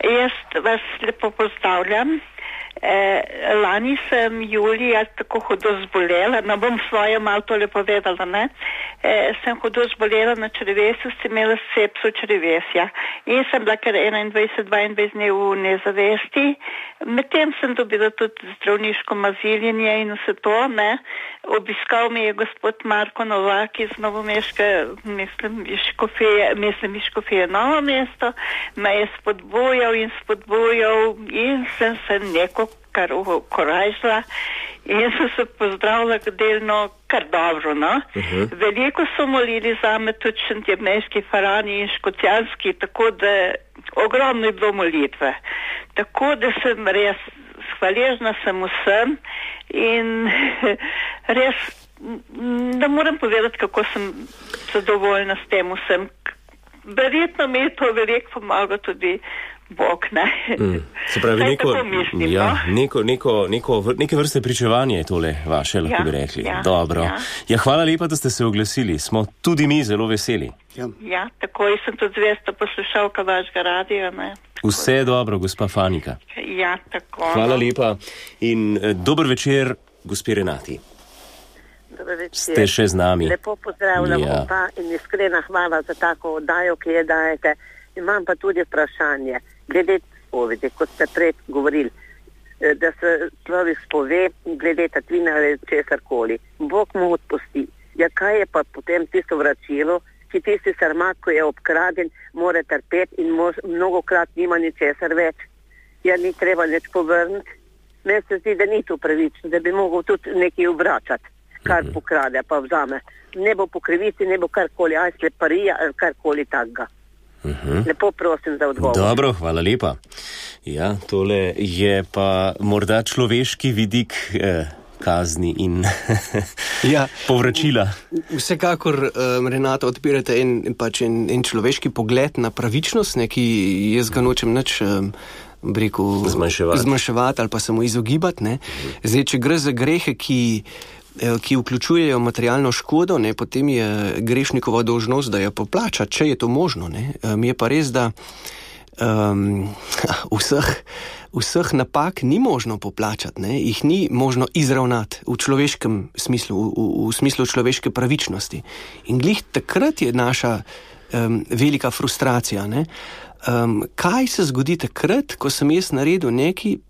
Jaz vas lepo pozdravljam. Eh, lani sem julija tako hudo zbolela, no bom svoje malo tole povedala, ne. eh, sem hudo zbolela na črevesju, sem imela sepso črevesja in sem bila kar enaindvajset dvaindvajset dni v nezavesti. Medtem sem dobila tudi zdravniško maziljenje in vse to, ne. Obiskal me je gospod Marko Novak iz Novomeške, mislim, Škofije, mislim, Škofije Novo mesto, me je spodbujal in spodbujal in sem se neko kar ukorajžila in so se pozdravila delno kar dobro, no. Uh-huh. Veliko so molili za me tudi šentjernejški farani in škocjanski, tako da ogromno je bilo molitve. Tako da sem res hvaležna sem vsem in res ne morem povedati, kako sem zadovoljna s tem vsem. Verjetno mi je to veliko pomaga tudi Bog, ne. Mm. Se pravi, neko, mislim, ja, no? neko, neko, neko, neke vrste pričevanje je tole vaše, lahko ja, bi rekli. Ja, Dobro. Ja. Ja, hvala lepa, da ste se oglasili. Smo tudi mi zelo veseli. Ja, ja tako in sem tudi zvesta poslušalka vašega radija, ne. Vse je dobro, gospa Fanika. Ja, tako. Hvala lepa in eh, dober večer, gospi Renati. Dober večer. Ste še z nami. Lepo pozdravljam ja. opa in iskrena hvala za tako oddajo, ki je dajete. Imam pa tudi vprašanje, glede spovedi, kot ste prej govorili, da se človek spove glede tatvine ali česarkoli. Bog mu odpusti. Ja, kaj je pa potem tisto vračilo, ki tisti sarmat, ko je obkraden, mora trpeti in mož, mnogokrat nima ničesar več. Ja, ni treba nič povrniti. Meni se zdi, da ni to pravično, da bi mogel tudi nekaj vračati, kar mm-hmm. pokrade pa vzame. Ne bo po krivici, ne bo karkoli, aj sleparija ali karkoli takega. Uhum. Lepo prosim za odgovor. Dobro, hvala lepa. Ja, tole je pa morda človeški vidik eh, kazni in ja, povračila. Vsekakor, um, Renata, odpirate en, pač en, en človeški pogled na pravičnost, ne, ki jaz ga nočem nič um, rekel, zmanjševati. zmanjševati ali pa se mu izogibati. Ne. Zdaj, če gre za grehe, ki ki vključujejo materialno škodo, ne, potem je grešnikova dolžnost, da jo poplača, če je to možno. Ne. Um, je pa res, da um, vseh, vseh napak ni možno poplačati, ne. Jih ni možno izravnati v človeškem smislu, v, v, v smislu človeške pravičnosti. In glih takrat je naša um, velika frustracija. Ne. Um, kaj se zgodi takrat, ko sem jaz naredil nekaj,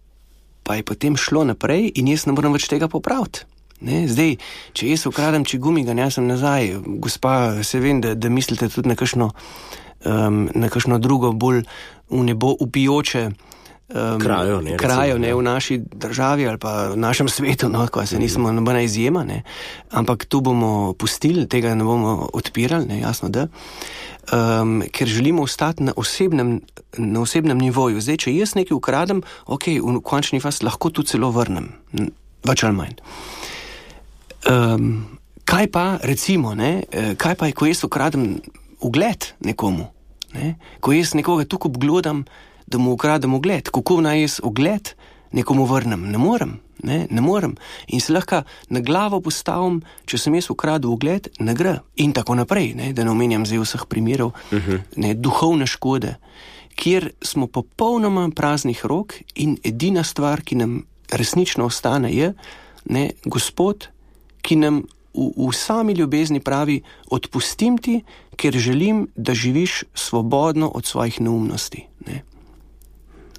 pa je potem šlo naprej in jaz ne morem več tega popraviti? Ne, zdaj, če jaz ukradem čigumi, ga nesem nazaj, gospa, se vem, da, da mislite tudi na kakšno, um, na kakšno drugo bolj v nebo upijoče um, krajo, ne, krajo recimo, ne, v naši državi ali pa v našem svetu, no, ko se nismo mm. nobena izjema, ne, ampak tu bomo pustili, tega ne bomo odpirali, ne, jasno, da, um, ker želimo ostati na osebnem, na osebnem nivoju. Zdaj, če jaz nekaj ukradem, ok, v končni fazi lahko tu celo vrnem, več ali manj. Um, kaj pa, recimo, ne, kaj pa je, ko jaz ukradem ugled nekomu, ne, ko jaz nekoga tukaj obglodam, da mu ukradem ugled, kako naj jaz ugled nekomu vrnem? Ne morem, ne, ne morem. In se lahko na glavo postavim, če sem jaz ukradel ugled, ne gre. In tako naprej, ne, da ne omenjam zdaj vseh primerov, uh-huh. ne, duhovne škode, kjer smo popolnoma praznih rok in edina stvar, ki nam resnično ostane, je, ne, Gospod, ki nam v, v sami ljubezni pravi, odpustim ti, ker želim, da živiš svobodno od svojih neumnosti. Ne.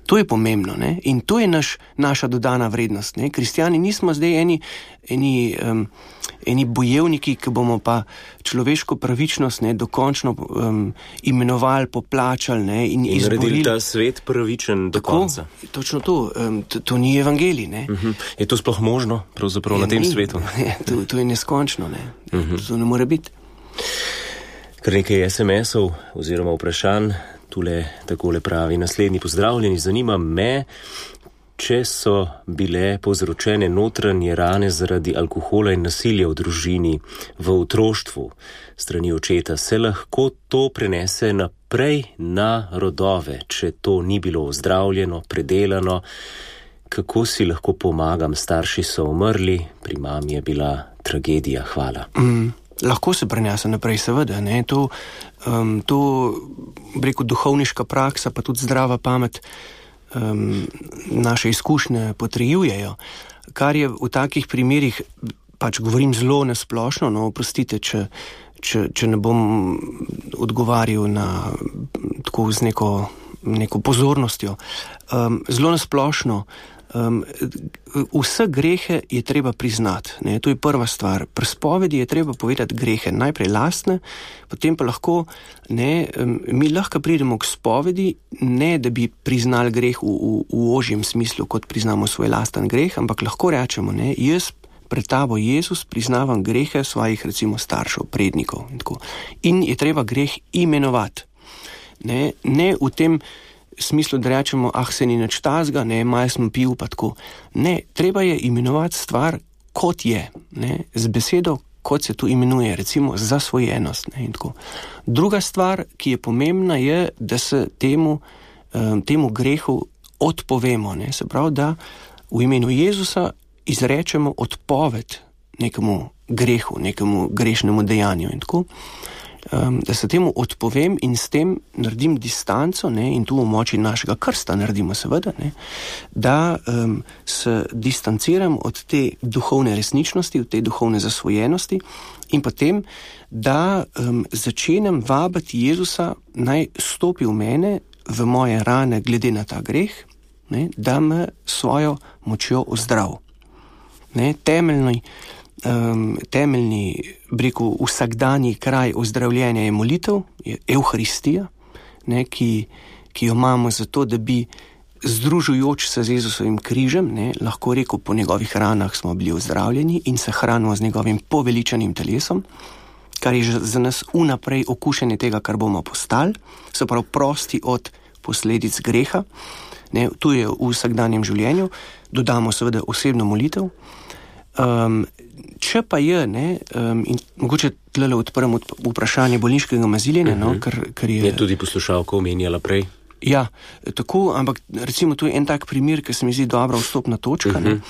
To je pomembno, ne? In to je naš, naša dodana vrednost. Ne? Kristjani nismo zdaj eni, eni, um, eni bojevniki, ki bomo pa človeško pravičnost ne, dokončno um, imenovali, poplačali ne, in, in izborili. Naredili ta svet pravičen do Tako, konca. Točno to. Um, to. To ni evangelij. Ne? Uh-huh. Je to sploh možno, pravzaprav, je, na tem ni, svetu? Ne, to, to je neskončno. Ne? Uh-huh. To ne more biti. Kar nekaj es em esov oziroma vprašanj. Tule takole pravi naslednji: pozdravljeni, zanima me, če so bile povzročene notranje rane zaradi alkohola in nasilja v družini, v otroštvu strani očeta, se lahko to prenese naprej na rodove, če to ni bilo ozdravljeno, predelano. Kako si lahko pomagam? Starši so umrli, pri mami je bila tragedija. Hvala. Mm. Lahko se prenese naprej, seveda. Ne? To, um, to rekel, duhovniška praksa, pa tudi zdrava pamet um, naše izkušnje potrjujejo. Kar je v takih primerih, pač govorim zelo nasplošno, no, oprostite, če, če, če ne bom odgovarjal na, tako z neko, neko pozornostjo. Um, zelo nasplošno, um, vse grehe je treba priznati, ne, to je prva stvar. Pri spovedi je treba povedati grehe, najprej lastne, potem pa lahko, ne, um, mi lahko pridemo k spovedi, ne da bi priznali greh v, v, v ožjem smislu, kot priznamo svoj lasten greh, ampak lahko rečemo, ne, jaz pred tabo, Jezus, priznavam grehe svojih, recimo, staršev, prednikov in tako. In je treba greh imenovati. Ne, ne v tem smislu, da rečemo, ah, se ni nič tazga, ne, malo sem pil, pa tako. Ne, treba je imenovati stvar, kot je, ne, z besedo, kot se tu imenuje, recimo zasvojenost, ne, in tako. Druga stvar, ki je pomembna, je, da se temu, um, temu grehu odpovemo, ne, se pravi, da v imenu Jezusa izrečemo odpoved nekemu grehu, nekemu grešnemu dejanju in tako. Um, da se temu odpovem in s tem naredim distanco, ne, in tu v moči našega krsta naredimo seveda, ne, da um, se distanciram od te duhovne resničnosti, od te duhovne zasvojenosti in potem, da um, začenem vabiti Jezusa, naj stopi v mene, v moje rane glede na ta greh, ne, da me svojo močjo ozdrav. Ne, temeljni Um, temeljni, breku, vsakdanji kraj ozdravljenja je molitev, je Evharistija, ne, ki, ki jo imamo zato, da bi združujoč se z Jezusovim križem, ne, lahko rekel, po njegovih ranah smo bili ozdravljeni in se hranimo z njegovim poveličanim telesom, kar je za nas vnaprej okušenje tega, kar bomo postali, se pravi prosti od posledic greha, ne, tu je v vsakdanjem življenju, dodamo seveda osebno molitev. Um, če pa je, ne, um, in mogoče tlele odprem vprašanje bolniškega maziljenja, uh-huh. no, ker, ker je... Je tudi poslušalka omenjala prej. Ja, tako, ampak recimo tu je en tak primer, ki se mi zdi dobra vstopna točka, uh-huh.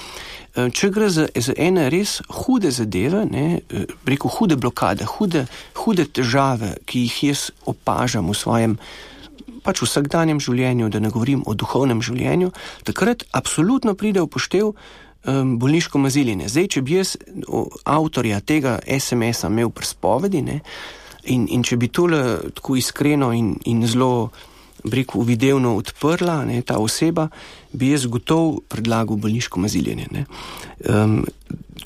ne. Če gre za, za ene res hude zadeve, ne, rekel hude blokade, hude, hude težave, ki jih jaz opažam v svojem pač vsakdanjem življenju, da ne govorim o duhovnem življenju, takrat absolutno pride v poštev bolniško maziljenje. Zdaj, če bi jaz avtorja tega es em es-a imel pri spovedi, ne, in, in če bi tole tako iskreno in, in zelo, breku, videvno odprla, ne, ta oseba, bi jaz gotov predlagal bolniško maziljenje. Ne. Um,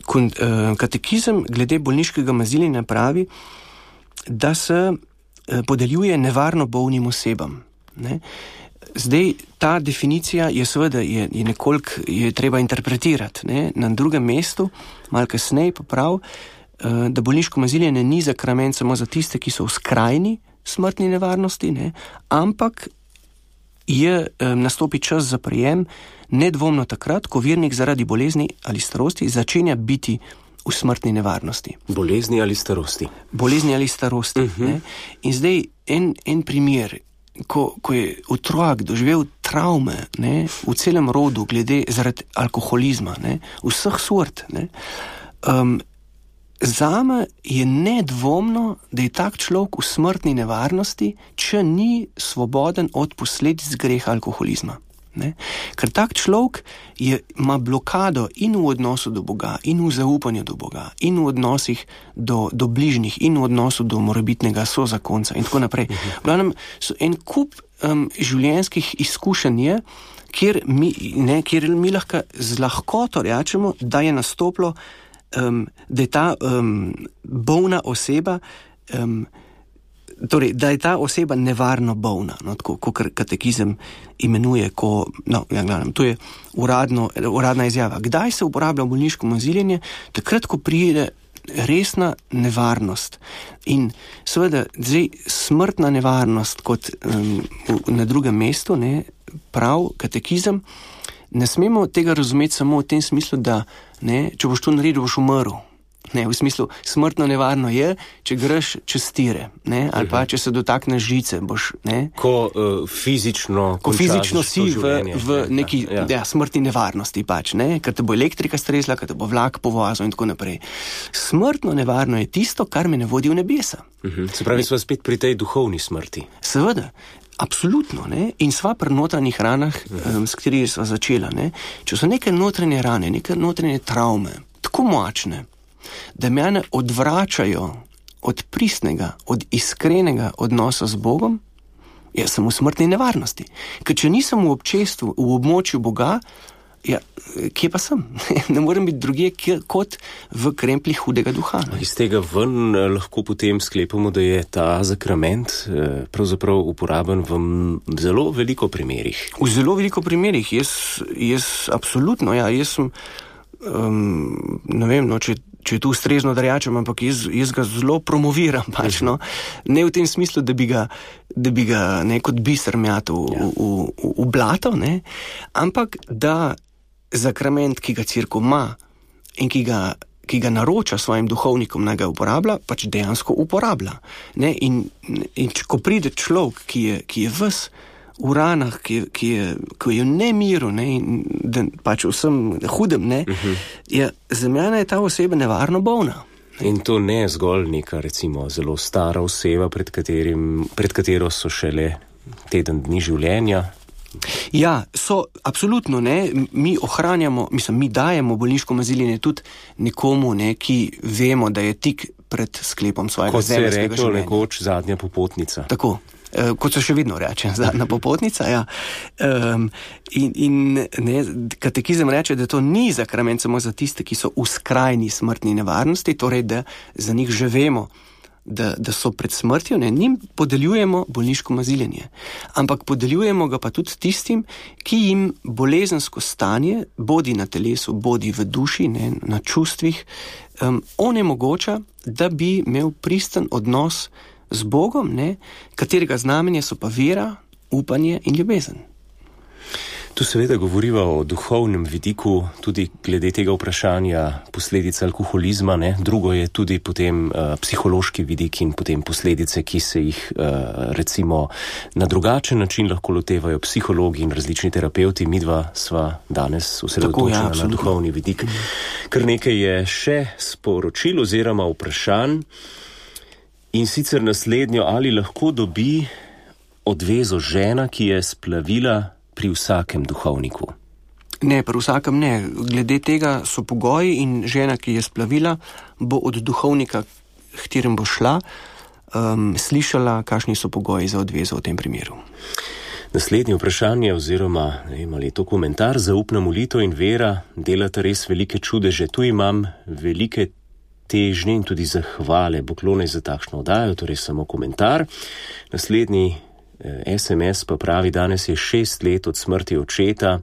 kon, uh, katekizem glede bolniškega maziljenja pravi, da se uh, podeljuje nevarno bolnim osebam. Ne. Zdaj, ta definicija je seveda je, je nekoliko je treba interpretirati. Ne? Na drugem mestu, malo kasneje pa prav, da bolniško maziljenje ni zakrament samo za tiste, ki so v skrajni smrtni nevarnosti, ne? Ampak je nastopi čas za prijem nedvomno takrat, ko vernik zaradi bolezni ali starosti začenja biti v smrtni nevarnosti. Bolezni ali starosti? Bolezni ali starosti. Uh-huh. Ne? In zdaj en, en primer, Ko, ko je otrok doživel travme, ne, v celem rodu, glede zaradi alkoholizma, ne, vseh sort, ne, um, zame je nedvomno, da je tak človek v smrtni nevarnosti, če ni svoboden od posledic greha alkoholizma. Ne. Ker tak človek je, ima blokado in v odnosu do Boga, in v zaupanju do Boga, in v odnosih do, do bližnjih, in v odnosu do morebitnega sozakonca in tako naprej. V glavnem, so en kup um, življenjskih izkušenj je, kjer mi, ne, kjer mi lahko z lahkoto rečemo, da je nastoplo, um, da je ta um, bolna oseba um, Torej, da je ta oseba nevarno bolna, no, tako, kot katekizem imenuje, ko, no, ja, gledam, to je uradno, uradna izjava. Kdaj se uporablja bolniško maziljenje? Takrat, ko pride resna nevarnost. In seveda, zdaj, smrtna nevarnost, kot um, na drugem mestu, ne, prav katekizem, ne smemo tega razumeti samo v tem smislu, da, ne, če boš to naredil, boš umrl. Ne, v smislu, smrtno nevarno je, če greš čez tire, ne, ali pa če se dotakneš žice, boš, ne. Ko uh, fizično, ko fizično si v, v neki ja, ja. Ja, smrtni nevarnosti pač, ne, ker te bo elektrika stresla, ker te bo vlak povozil in tako naprej. Smrtno nevarno je tisto, kar me ne vodi v nebesa. Uh-huh. Se pravi, sva spet pri tej duhovni smrti. Seveda, absolutno, ne, in sva pri notranjih ranah, uh-huh. um, s katerimi sva začela, ne. Če so neke notranje rane, neke notranje travme, tako močne, da mene odvračajo od pristnega, od iskrenega odnosa z Bogom, jaz sem v smrtni nevarnosti. Ker če nisem v občestvu, v območju Boga, ja, kje pa sem? Ne morem biti drugje kot v krempli hudega duha. Ne? Iz tega ven lahko potem sklepamo, da je ta zakrament pravzaprav uporaben v zelo veliko primerih. V zelo veliko primerih. Jaz, jaz absolutno, ja, jaz sem, um, ne vem, no, če če je tu ustrezno, da rečem, ampak jaz, jaz ga zelo promoviram, pač, no. Ne v tem smislu, da bi ga, da bi ga ne kot biser mjatil v, v, v, v blato, ne, ampak da zakrament, ki ga cerkev ima in ki ga, ki ga naroča svojim duhovnikom, naj ga uporablja, pač dejansko uporablja. Ne, in, in če, ko pride človek, ki je, ki je ves v ranah, ki, ki, je, ki je v nemiru, ne, in da pač vsem hudem, ne, uh-huh. ja, za mene je ta oseba nevarno bolna. Ne. In to ne zgolj neka, recimo, zelo stara oseba, pred, katerim, pred katero so šele teden dni življenja. Ja, so, absolutno, ne, mi ohranjamo, mislim, mi dajemo bolniško maziljenje tudi nekomu, ne, ki vemo, da je tik pred sklepom svojega zemeljskega življenja. Kot se je rekel nekoč zadnja popotnica. Tako. Uh, kot se še vedno reče, zadnja popotnica, ja. Um, in, in ne, katekizem reče, da to ni zakrament samo za tiste, ki so v skrajni smrtni nevarnosti, torej, da za njih že vemo, da, da so pred smrtjo, ne, njim podeljujemo bolniško maziljenje. Ampak podeljujemo ga pa tudi tistim, ki jim bolezensko stanje, bodi na telesu, bodi v duši, ne, na čustvih, um, onemogoča, da bi imel pristen odnos z Bogom, ne, katerega znamenje so pa vera, upanje in ljubezen. Tu seveda govoriva o duhovnem vidiku, tudi glede tega vprašanja posledic alkoholizma, ne. Drugo je tudi potem uh, psihološki vidik in potem posledice, ki se jih uh, recimo na drugačen način lahko lotevajo psihologi in različni terapeuti. Midva sva danes osredotočena ja, na duhovni vidik. Kar nekaj je še sporočil oziroma vprašanj. In sicer naslednjo, ali lahko dobi odvezo žena, ki je splavila pri vsakem duhovniku? Ne, pri vsakem ne. Glede tega so pogoji in žena, ki je splavila, bo od duhovnika, k katerem bo šla, um, slišala, kakšni so pogoji za odvezo v tem primeru. Naslednje vprašanje oziroma ne vem, ali je to komentar, zaupna molitev in vera delata res velike čudeže. Tu imam velike težnje in tudi zahvale, poklone za takšno oddajo, torej samo komentar. Naslednji eh, es em es pa pravi, danes je šest let od smrti očeta,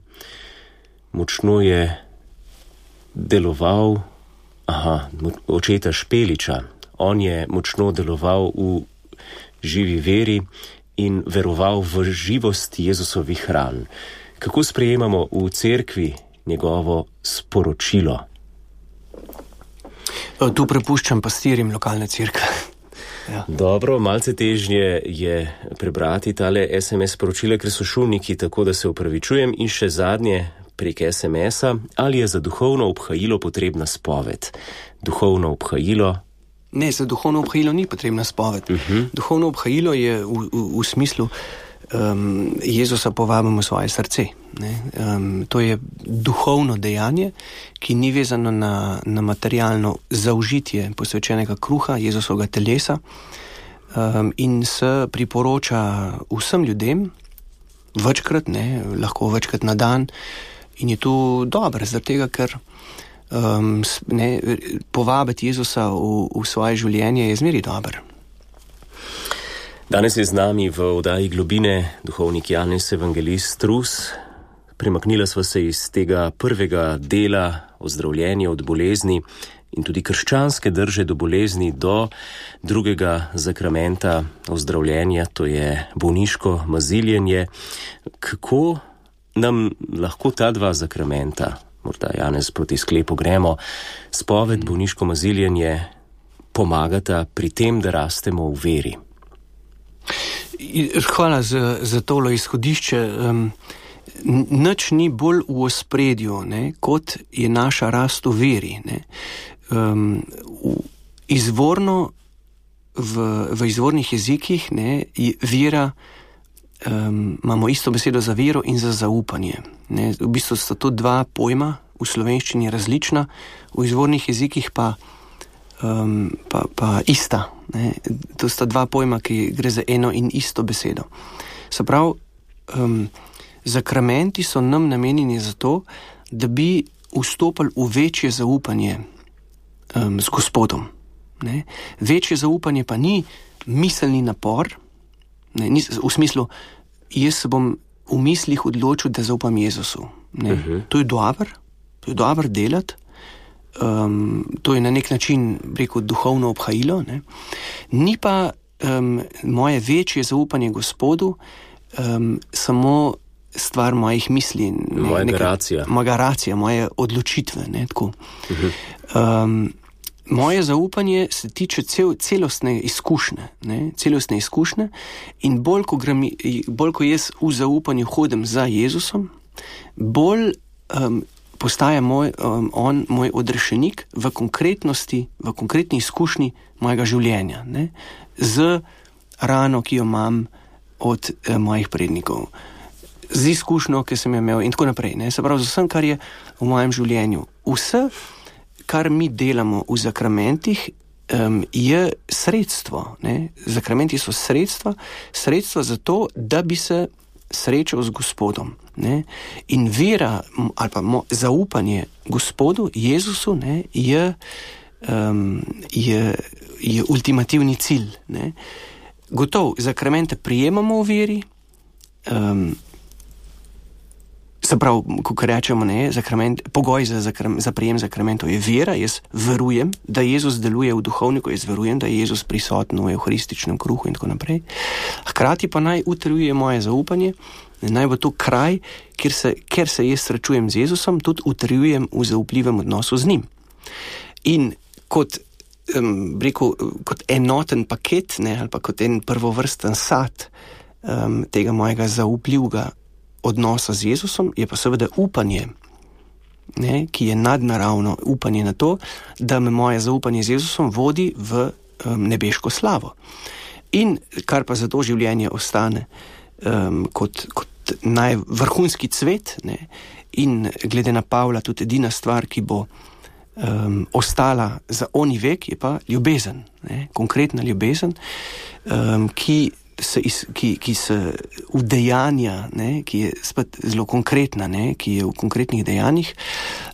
močno je deloval, aha, očeta Špeliča, on je močno deloval v živi veri in veroval v živost Jezusovih ran. Kako sprejemamo v cerkvi njegovo sporočilo? Tu prepuščam pastirjem lokalne cerkve. Ja. Dobro, malce težnje je prebrati tale es em es sporočile, ker so šumniki, tako da se upravičujem. In še zadnje prek es em es-a, ali je za duhovno obhajilo potrebna spoved? Duhovno obhajilo? Ne, za duhovno obhajilo ni potrebna spoved. Uh-huh. Duhovno obhajilo je v, v, v smislu um, Jezusa povabimo v svoje srce. Ne? Um, to je duhovno dejanje, ki ni vezano na, na materialno zaužitje posvečenega kruha Jezusovega telesa um, in se priporoča vsem ljudem, večkrat, ne, lahko večkrat na dan, in je to dobro, zaradi tega, ker um, ne, povabiti Jezusa v, v svoje življenje je zmeri dobro. Danes je z nami v oddaji Globine duhovnik Janez Evangelist Rus. Premaknila sva se iz tega prvega dela ozdravljenja od bolezni in tudi krščanske drže do bolezni do drugega zakramenta ozdravljenja, to je bolniško maziljenje. Kako nam lahko ta dva zakramenta, morda Janez proti sklepu gremo, spoved, bolniško maziljenje, pomagata pri tem, da rastemo v veri? Hvala za, za tolo izhodišče. Um, Nič ni bolj v ospredju, ne, kot je naša rast v veri. Ne. Um, v, izvorno, v, v izvornih jezikih, ne, je vera, um, imamo isto besedo za vero in za zaupanje. Ne. V bistvu sta to dva pojma, v slovenščini različna, v izvornih jezikih pa um, pa, pa ista. Ne? To sta dva pojma, ki gre za eno in isto besedo. Se pravi, um, zakramenti so nam namenjeni za to, da bi vstopili v večje zaupanje um, z Gospodom. Ne? Večje zaupanje pa ni miselni napor, ne? Ni, v smislu, jaz se bom v mislih odločil, da zaupam Jezusu. Ne? Uh-huh. To je dobro, to je dobro delati, um, to je na nek način, rekel, duhovno obhajilo. Ne? Ni pa um, moje večje zaupanje Gospodu um, samo stvar mojih misli. Ne, moja garacija. Moja garacija, moje odločitve. Ne, tako. Uh-huh. Um, moje zaupanje se tiče cel, celostne izkušnje. Ne, celostne izkušnje in bolj ko, grem, bolj, ko jaz v zaupanju hodim za Jezusom, bolj um, postaja moj, um, on moj odrešenik v konkretnosti, v konkretni izkušnji mojega življenja. Ne, z rano, ki jo imam od eh, mojih prednikov. Z izkušnjo, ki sem jo imel in tako naprej. Ne? Se pravi, z vsem, kar je v mojem življenju. Vse, kar mi delamo v zakramentih, um, je sredstvo. Ne? Zakramenti so sredstva, sredstva za to, da bi se srečal z Gospodom. Ne? In vera ali pa mo, zaupanje Gospodu, Jezusu, ne, je, um, je, je ultimativni cilj. Ne? Gotov, zakramente prijemamo v veri, um, se pravi, ko rečemo, ne, zakrament, pogoj za, zakram, za prijem zakramentov je vera, jaz verujem, da Jezus deluje v duhovniku, jaz verujem, da je Jezus prisoten v evharističnem kruhu in tako naprej. Hkrati pa naj utrjuje moje zaupanje, naj bo to kraj, kjer se, kjer se jaz srečujem z Jezusom, tudi utrjujem v zaupljivem odnosu z njim. In kot, um, rekel, kot enoten paket, ne, ali pa kot en prvovrsten sad um, tega mojega zaupljivega odnosa z Jezusom, je pa seveda upanje, ne, ki je nadnaravno upanje na to, da me moje zaupanje z Jezusom vodi v um, nebeško slavo. In kar pa za to življenje ostane um, kot, kot najvrhunski cvet, ne, in glede na Pavla tudi edina stvar, ki bo um, ostala za oni vek, je pa ljubezen, ne, konkretna ljubezen, um, ki Se, ki, ki se udejanja, ne, ki je spet zelo konkretna, ne, ki je v konkretnih dejanjih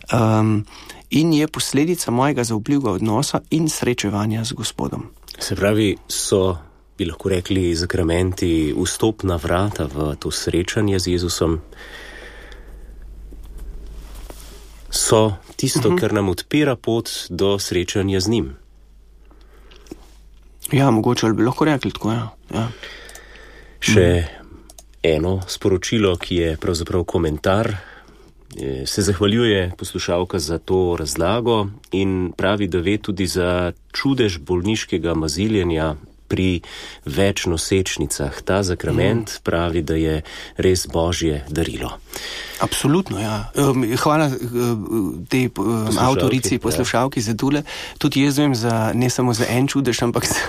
um, in je posledica mojega zaupljivega odnosa in srečevanja z Gospodom. Se pravi, so, bi lahko rekli, zakramenti vstopna vrata v to srečanje z Jezusom? So tisto, uh-huh. kar nam odpira pot do srečanja z njim? Ja, mogoče ali bi lahko rekli tako, ja. ja. Še eno sporočilo, ki je pravzaprav komentar, se zahvaljuje poslušalka za to razlago in pravi, da ve tudi za čudež bolniškega maziljenja pri večnosečnicah. Ta zakrament mm. pravi, da je res Božje darilo. Absolutno, ja. Hvala tej avtorici, poslušalki ja. za tule. Tudi jaz vem za, ne samo za en čudež, ampak za,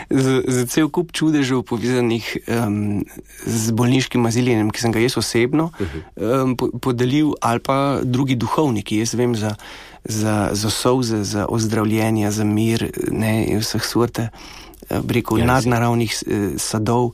za, za cel kup čudežev povezanih um, z bolniškim maziljenjem, ki sem ga jaz osebno uh-huh. um, podelil, ali pa drugi duhovniki. Jaz vem za, za, za solze, za ozdravljenja, za mir, ne, vseh sorte rekel, ja, nadnaravnih eh, sadov,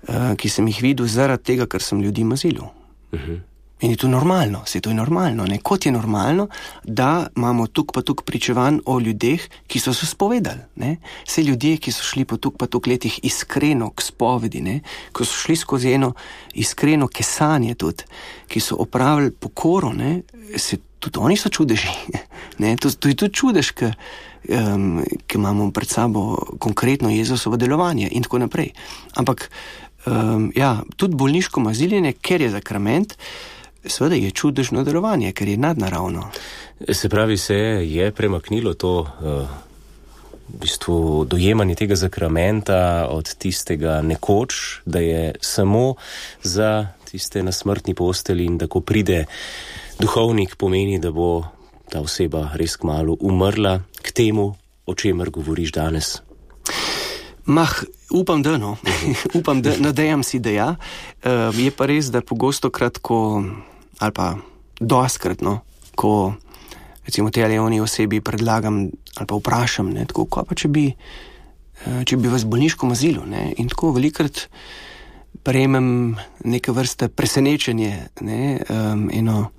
eh, ki sem jih videl zaradi tega, ker sem ljudi mazilil. Uh-huh. In je to normalno, se to je normalno. Ne? Kot je normalno, da imamo tuk pa tuk pričevanj o ljudeh, ki so se spovedali. Ne? Vse ljudje, ki so šli po tuk pa tuk letih iskreno k spovedi, ne? Ko so šli skozi eno iskreno kesanje tudi, ki so opravili pokoro, ne? Se, tudi oni so čudeži. Ne? To, to je tudi čudež, ki um, imamo pred sabo konkretno Jezusovo delovanje in tako naprej. Ampak um, ja, tudi bolniško maziljenje, ker je zakrament, seveda je čudežno delovanje, ker je nadnaravno. Se pravi, se je premaknilo to uh, v bistvu dojemanje tega zakramenta od tistega nekoč, da je samo za tiste na smrtni posteli in da ko pride duhovnik, pomeni, da bo ta oseba res kmalu umrla, k temu, o čemer govoriš danes. Mah, upam, da no. upam, da nadejam si, da ja. Uh, je pa res, da pogosto krat, ko, ali pa doskrat, no, ko recimo tej ali oni osebi predlagam, ali pa vprašam, ne, tako, kaj pa če bi, če bi vas bolniško mazilo, ne, in tako velikrat prejmem neke vrste presenečenje, ne, um, eno,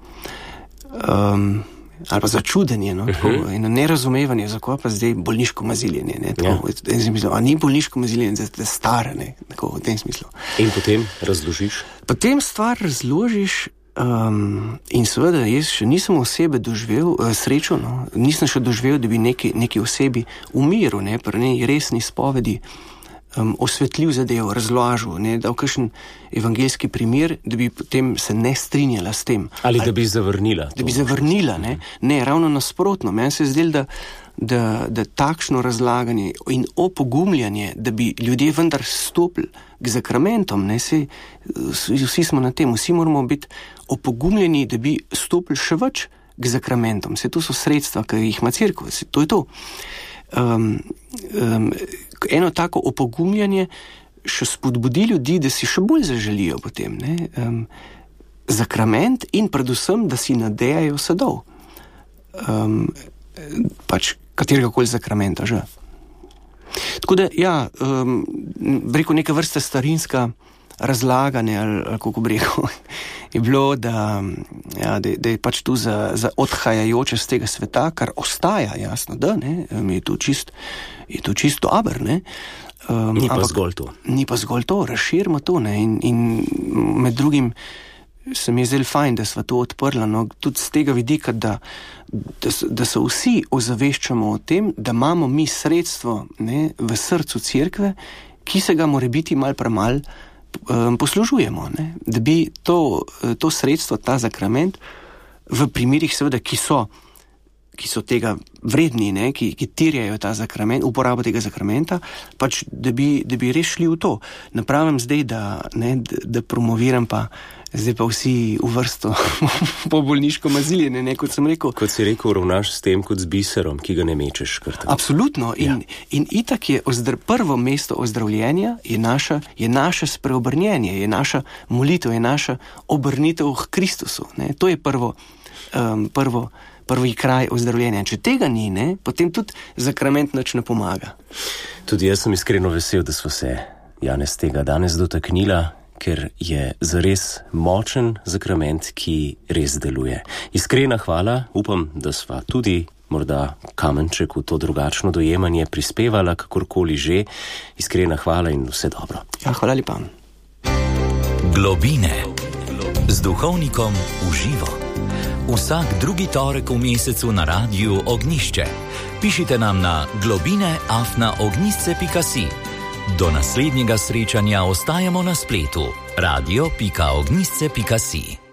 um, ali pa začudenje, no, tako, uh-huh. eno nerazumevanje, zakaj pa zdaj bolniško maziljenje, ne, tako, ja. v tem smislu, a ni bolniško maziljenje, da je stara, ne, tako, v tem smislu. In potem razložiš? Potem stvar razložiš, Um, in seveda, jaz še nisem osebe doživel, uh, srečo, no, nisem še doživel, da bi neki, neki osebi umiral, ne, pri nej resni spovedi um, osvetljiv zadev, razložil, ne, dal kakšen evangeljski primer, da bi potem se ne strinjala s tem. Ali, ali da bi zavrnila. Da bi zavrnila, ne, ne, ravno nasprotno. Meni se je zdelo, da Da, da takšno razlaganje in opogumljanje, da bi ljudje vendar stopili k zakramentom, ne, se, vsi smo na tem, vsi moramo biti opogumljeni, da bi stopili še več k zakramentom. Se to so sredstva, ki jih ima cerkev, to je to. Um, um, eno tako opogumljanje še spodbudi ljudi, da si še bolj zaželijo potem, ne, um, zakrament in predvsem, da si nadejajo sadov. Um, pač katerega koli zakramenta že. Tako da, ja, um, rekel, neka vrsta starinska razlaganje, ali, ali kako bi rekel, je bilo, da, ja, da, da je pač tu za, za odhajajoče z tega sveta, kar ostaja, jasno, da, ne, je to čist, je to čist dober, ne. Um, ni pa ampak, zgolj to. Ni pa zgolj to, razširimo to, ne, in, in med drugim se mi je zelo fajn, da sva to odprla, no, tudi z tega vidika, da, da, da se vsi ozaveščamo o tem, da imamo mi sredstvo, ne, v srcu cerkve, ki se ga more biti mal premal um, poslužujemo, ne, da bi to, to sredstvo, ta zakrament, v primerih seveda, ki so, ki so tega vredni, ne, ki, ki terjajo ta zakrament, uporabo tega zakramenta, pač, da bi, da bi res šli v to. Napravim zdaj, da, ne, da, da promoviram pa zdaj pa vsi v vrsto po bolniško maziljenje, ne, kot sem rekel. Kot si rekel, ravnaš s tem kot z biserom, ki ga ne mečeš kar tako. Absolutno. In, ja. in itak je ozdr- prvo mesto ozdravljenja je naša, je naše spreobrnjenje, je naša molitev, je naša obrnitev k Kristusu. Ne. To je prvo, um, prvo, prvi kraj ozdravljenja. Če tega ni, ne, potem tudi zakrament nič ne pomaga. Tudi jaz sem iskreno vesel, da smo se, Janez, tega danes dotaknila, ker je zares močen zakrament, ki res deluje. Iskrena hvala, upam, da sva tudi morda kamenček v to drugačno dojemanje prispevala, kakorkoli že. Iskrena hvala in vse dobro. Ja, hvala lepa. Globine z duhovnikom v živo. Vsak drugi torek v mesecu na Radiu Ognišče. Pišite nam na globine afna ognisce pika si. Do naslednjega srečanja ostajamo na spletu radio pika ognisce pika si.